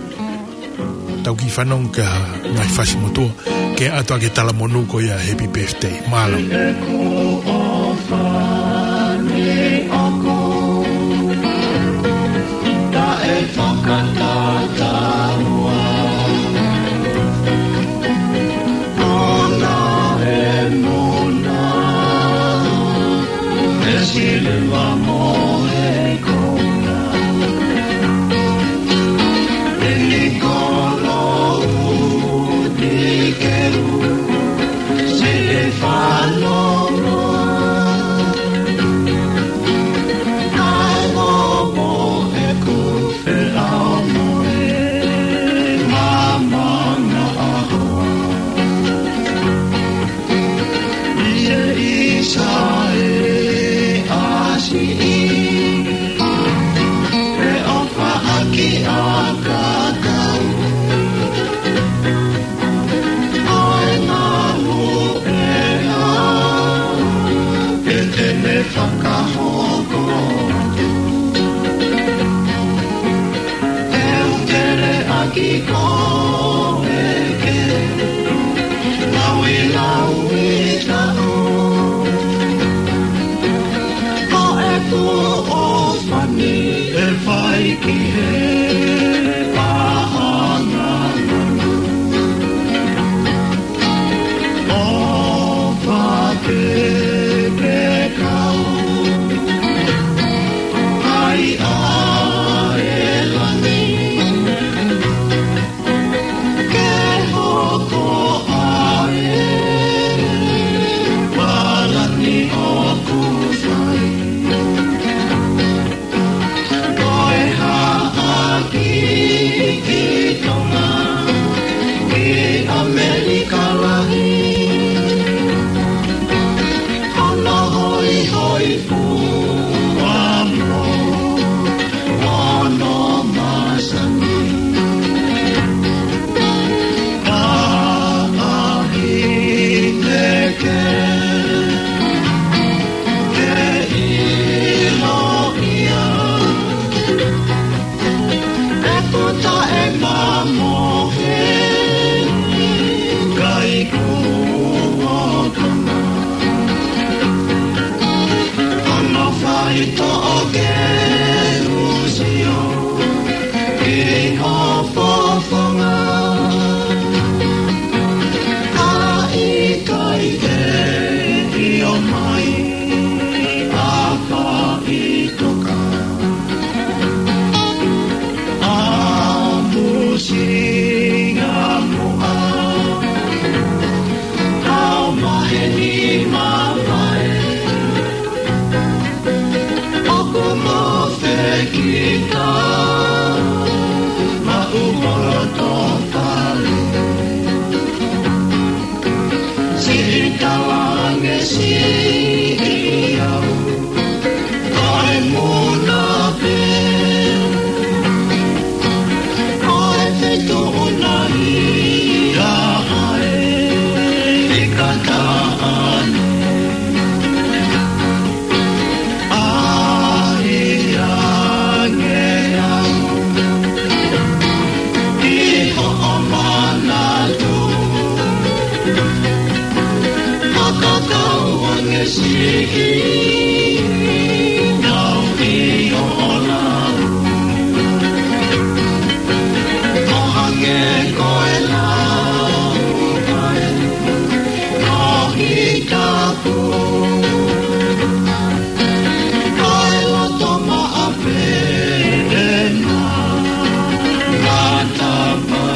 Tau kiʻi fanongo ki ha ngaahi fasi motuʻa, ke ʻoatu ʻaki e talamonū ko ia happy birthday. Mālō. Fakahoko atu. ʻE u tele ʻaki koe ke lauilaui taʻu. Ko e tuʻo fani ʻe fai ki he paʻanga. ʻO fakeke kau ai ʻa e lani. Ke hoko ʻa e palani ʻoku fai. Ko e hā Kita maʻu holo tō fale. Siʻi talange siʻi au. Ko e muna pē. Ko e feituʻu naʻe ʻi ai e kataʻane. ʻAi ange au ʻi hoʻo manatu. Fakakau ange siʻi nau ʻi hoʻo lau. Ko hangē ko e lau ai. Ko hita Ko e loto maʻa pē ʻena matapā.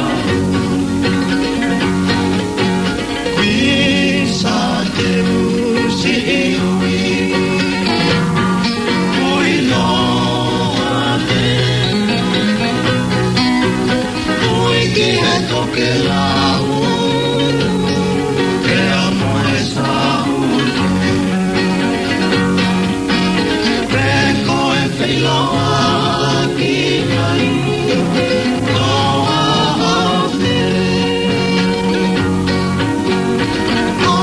Kuisa te usi e ui. Ui loa te. Ui ki he tokelau. Pea mo e saute. Pe ko e feiloaʻaki mai. Ko a afe. Ko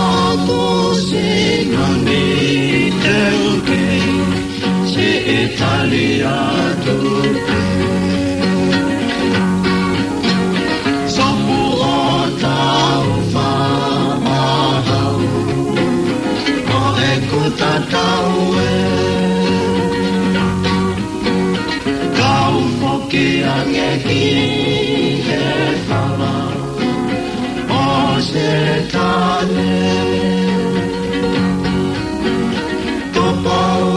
kusi nani te uke. Siʻi tali atu pē. Sopu ʻo tau faʻahau. Ko ʻeku tatau ē. Kau foki ange ki he fala. ʻO Sētane. Tupou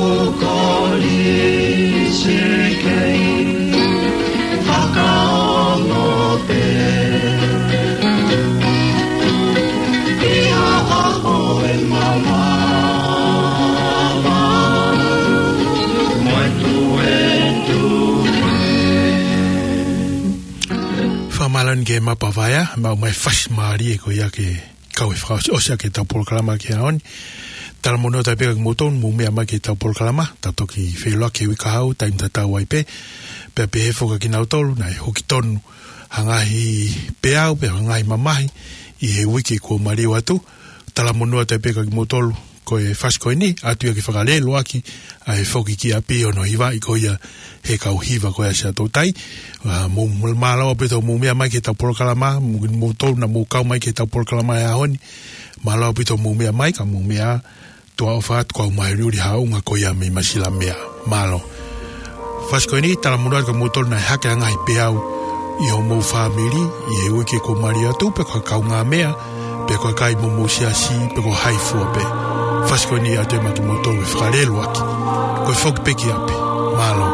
kolisi kei fakaongo pē. ʻI ha ʻaho ʻe mamafa mo e tuetue. Fakamālō ange ki he Mapa Vaea, maʻu mai e fasi mālie ko ia ke kau ʻi he fakaʻosiʻosi ʻaki ʻetau polokalama ki he ʻaho ni. Talamonū atu ai pē kia kimoutolu mou meʻa mai ki heʻetau polokalama, tau toki feʻiloaki he uike kahaʻu, taimi tatau ai pē, pea pehē foki kia kinautolu naʻe huki tonu ha ngaahi peau, pe ha ngaahi mamahi, ʻi he uike kuo maliu atu. Talamonū atu ai pē kia kimoutolu, ko e fasi ko eni, ʻoatu ia ke fakalēloaki ʻa e foki ki ʻapi hono hivaʻi ko ia he kau hiva ko ia ʻa Siaʻatoutai. ʻA, mou, mou mālō ʻaupito mou meʻa mai ki heʻetau polokalama, mou, moutolu naʻa mou kau mai ki heʻetau polokalama he ʻaho ni. Mālō ʻaupito mou meʻa mai, ka mou meʻa, tuʻa ʻofa atu kau mai uri uri haʻunga ko ia mei Masilameʻa. Mālō. Fasi ko eni, talamonū atu kia moutolu naʻe hake ha ngaahi peau ʻi homou fāmili, ʻi he uike kuo maliu atu, pe ko e kaungāmeʻa, pe ko e kakai ʻo homou siasi, pe ko hai fua pē. Fasi ko eni ʻoatu ia maʻa kimoutolu ke fakalēloaki. Ko e foki pē ki ʻapi. Mālō.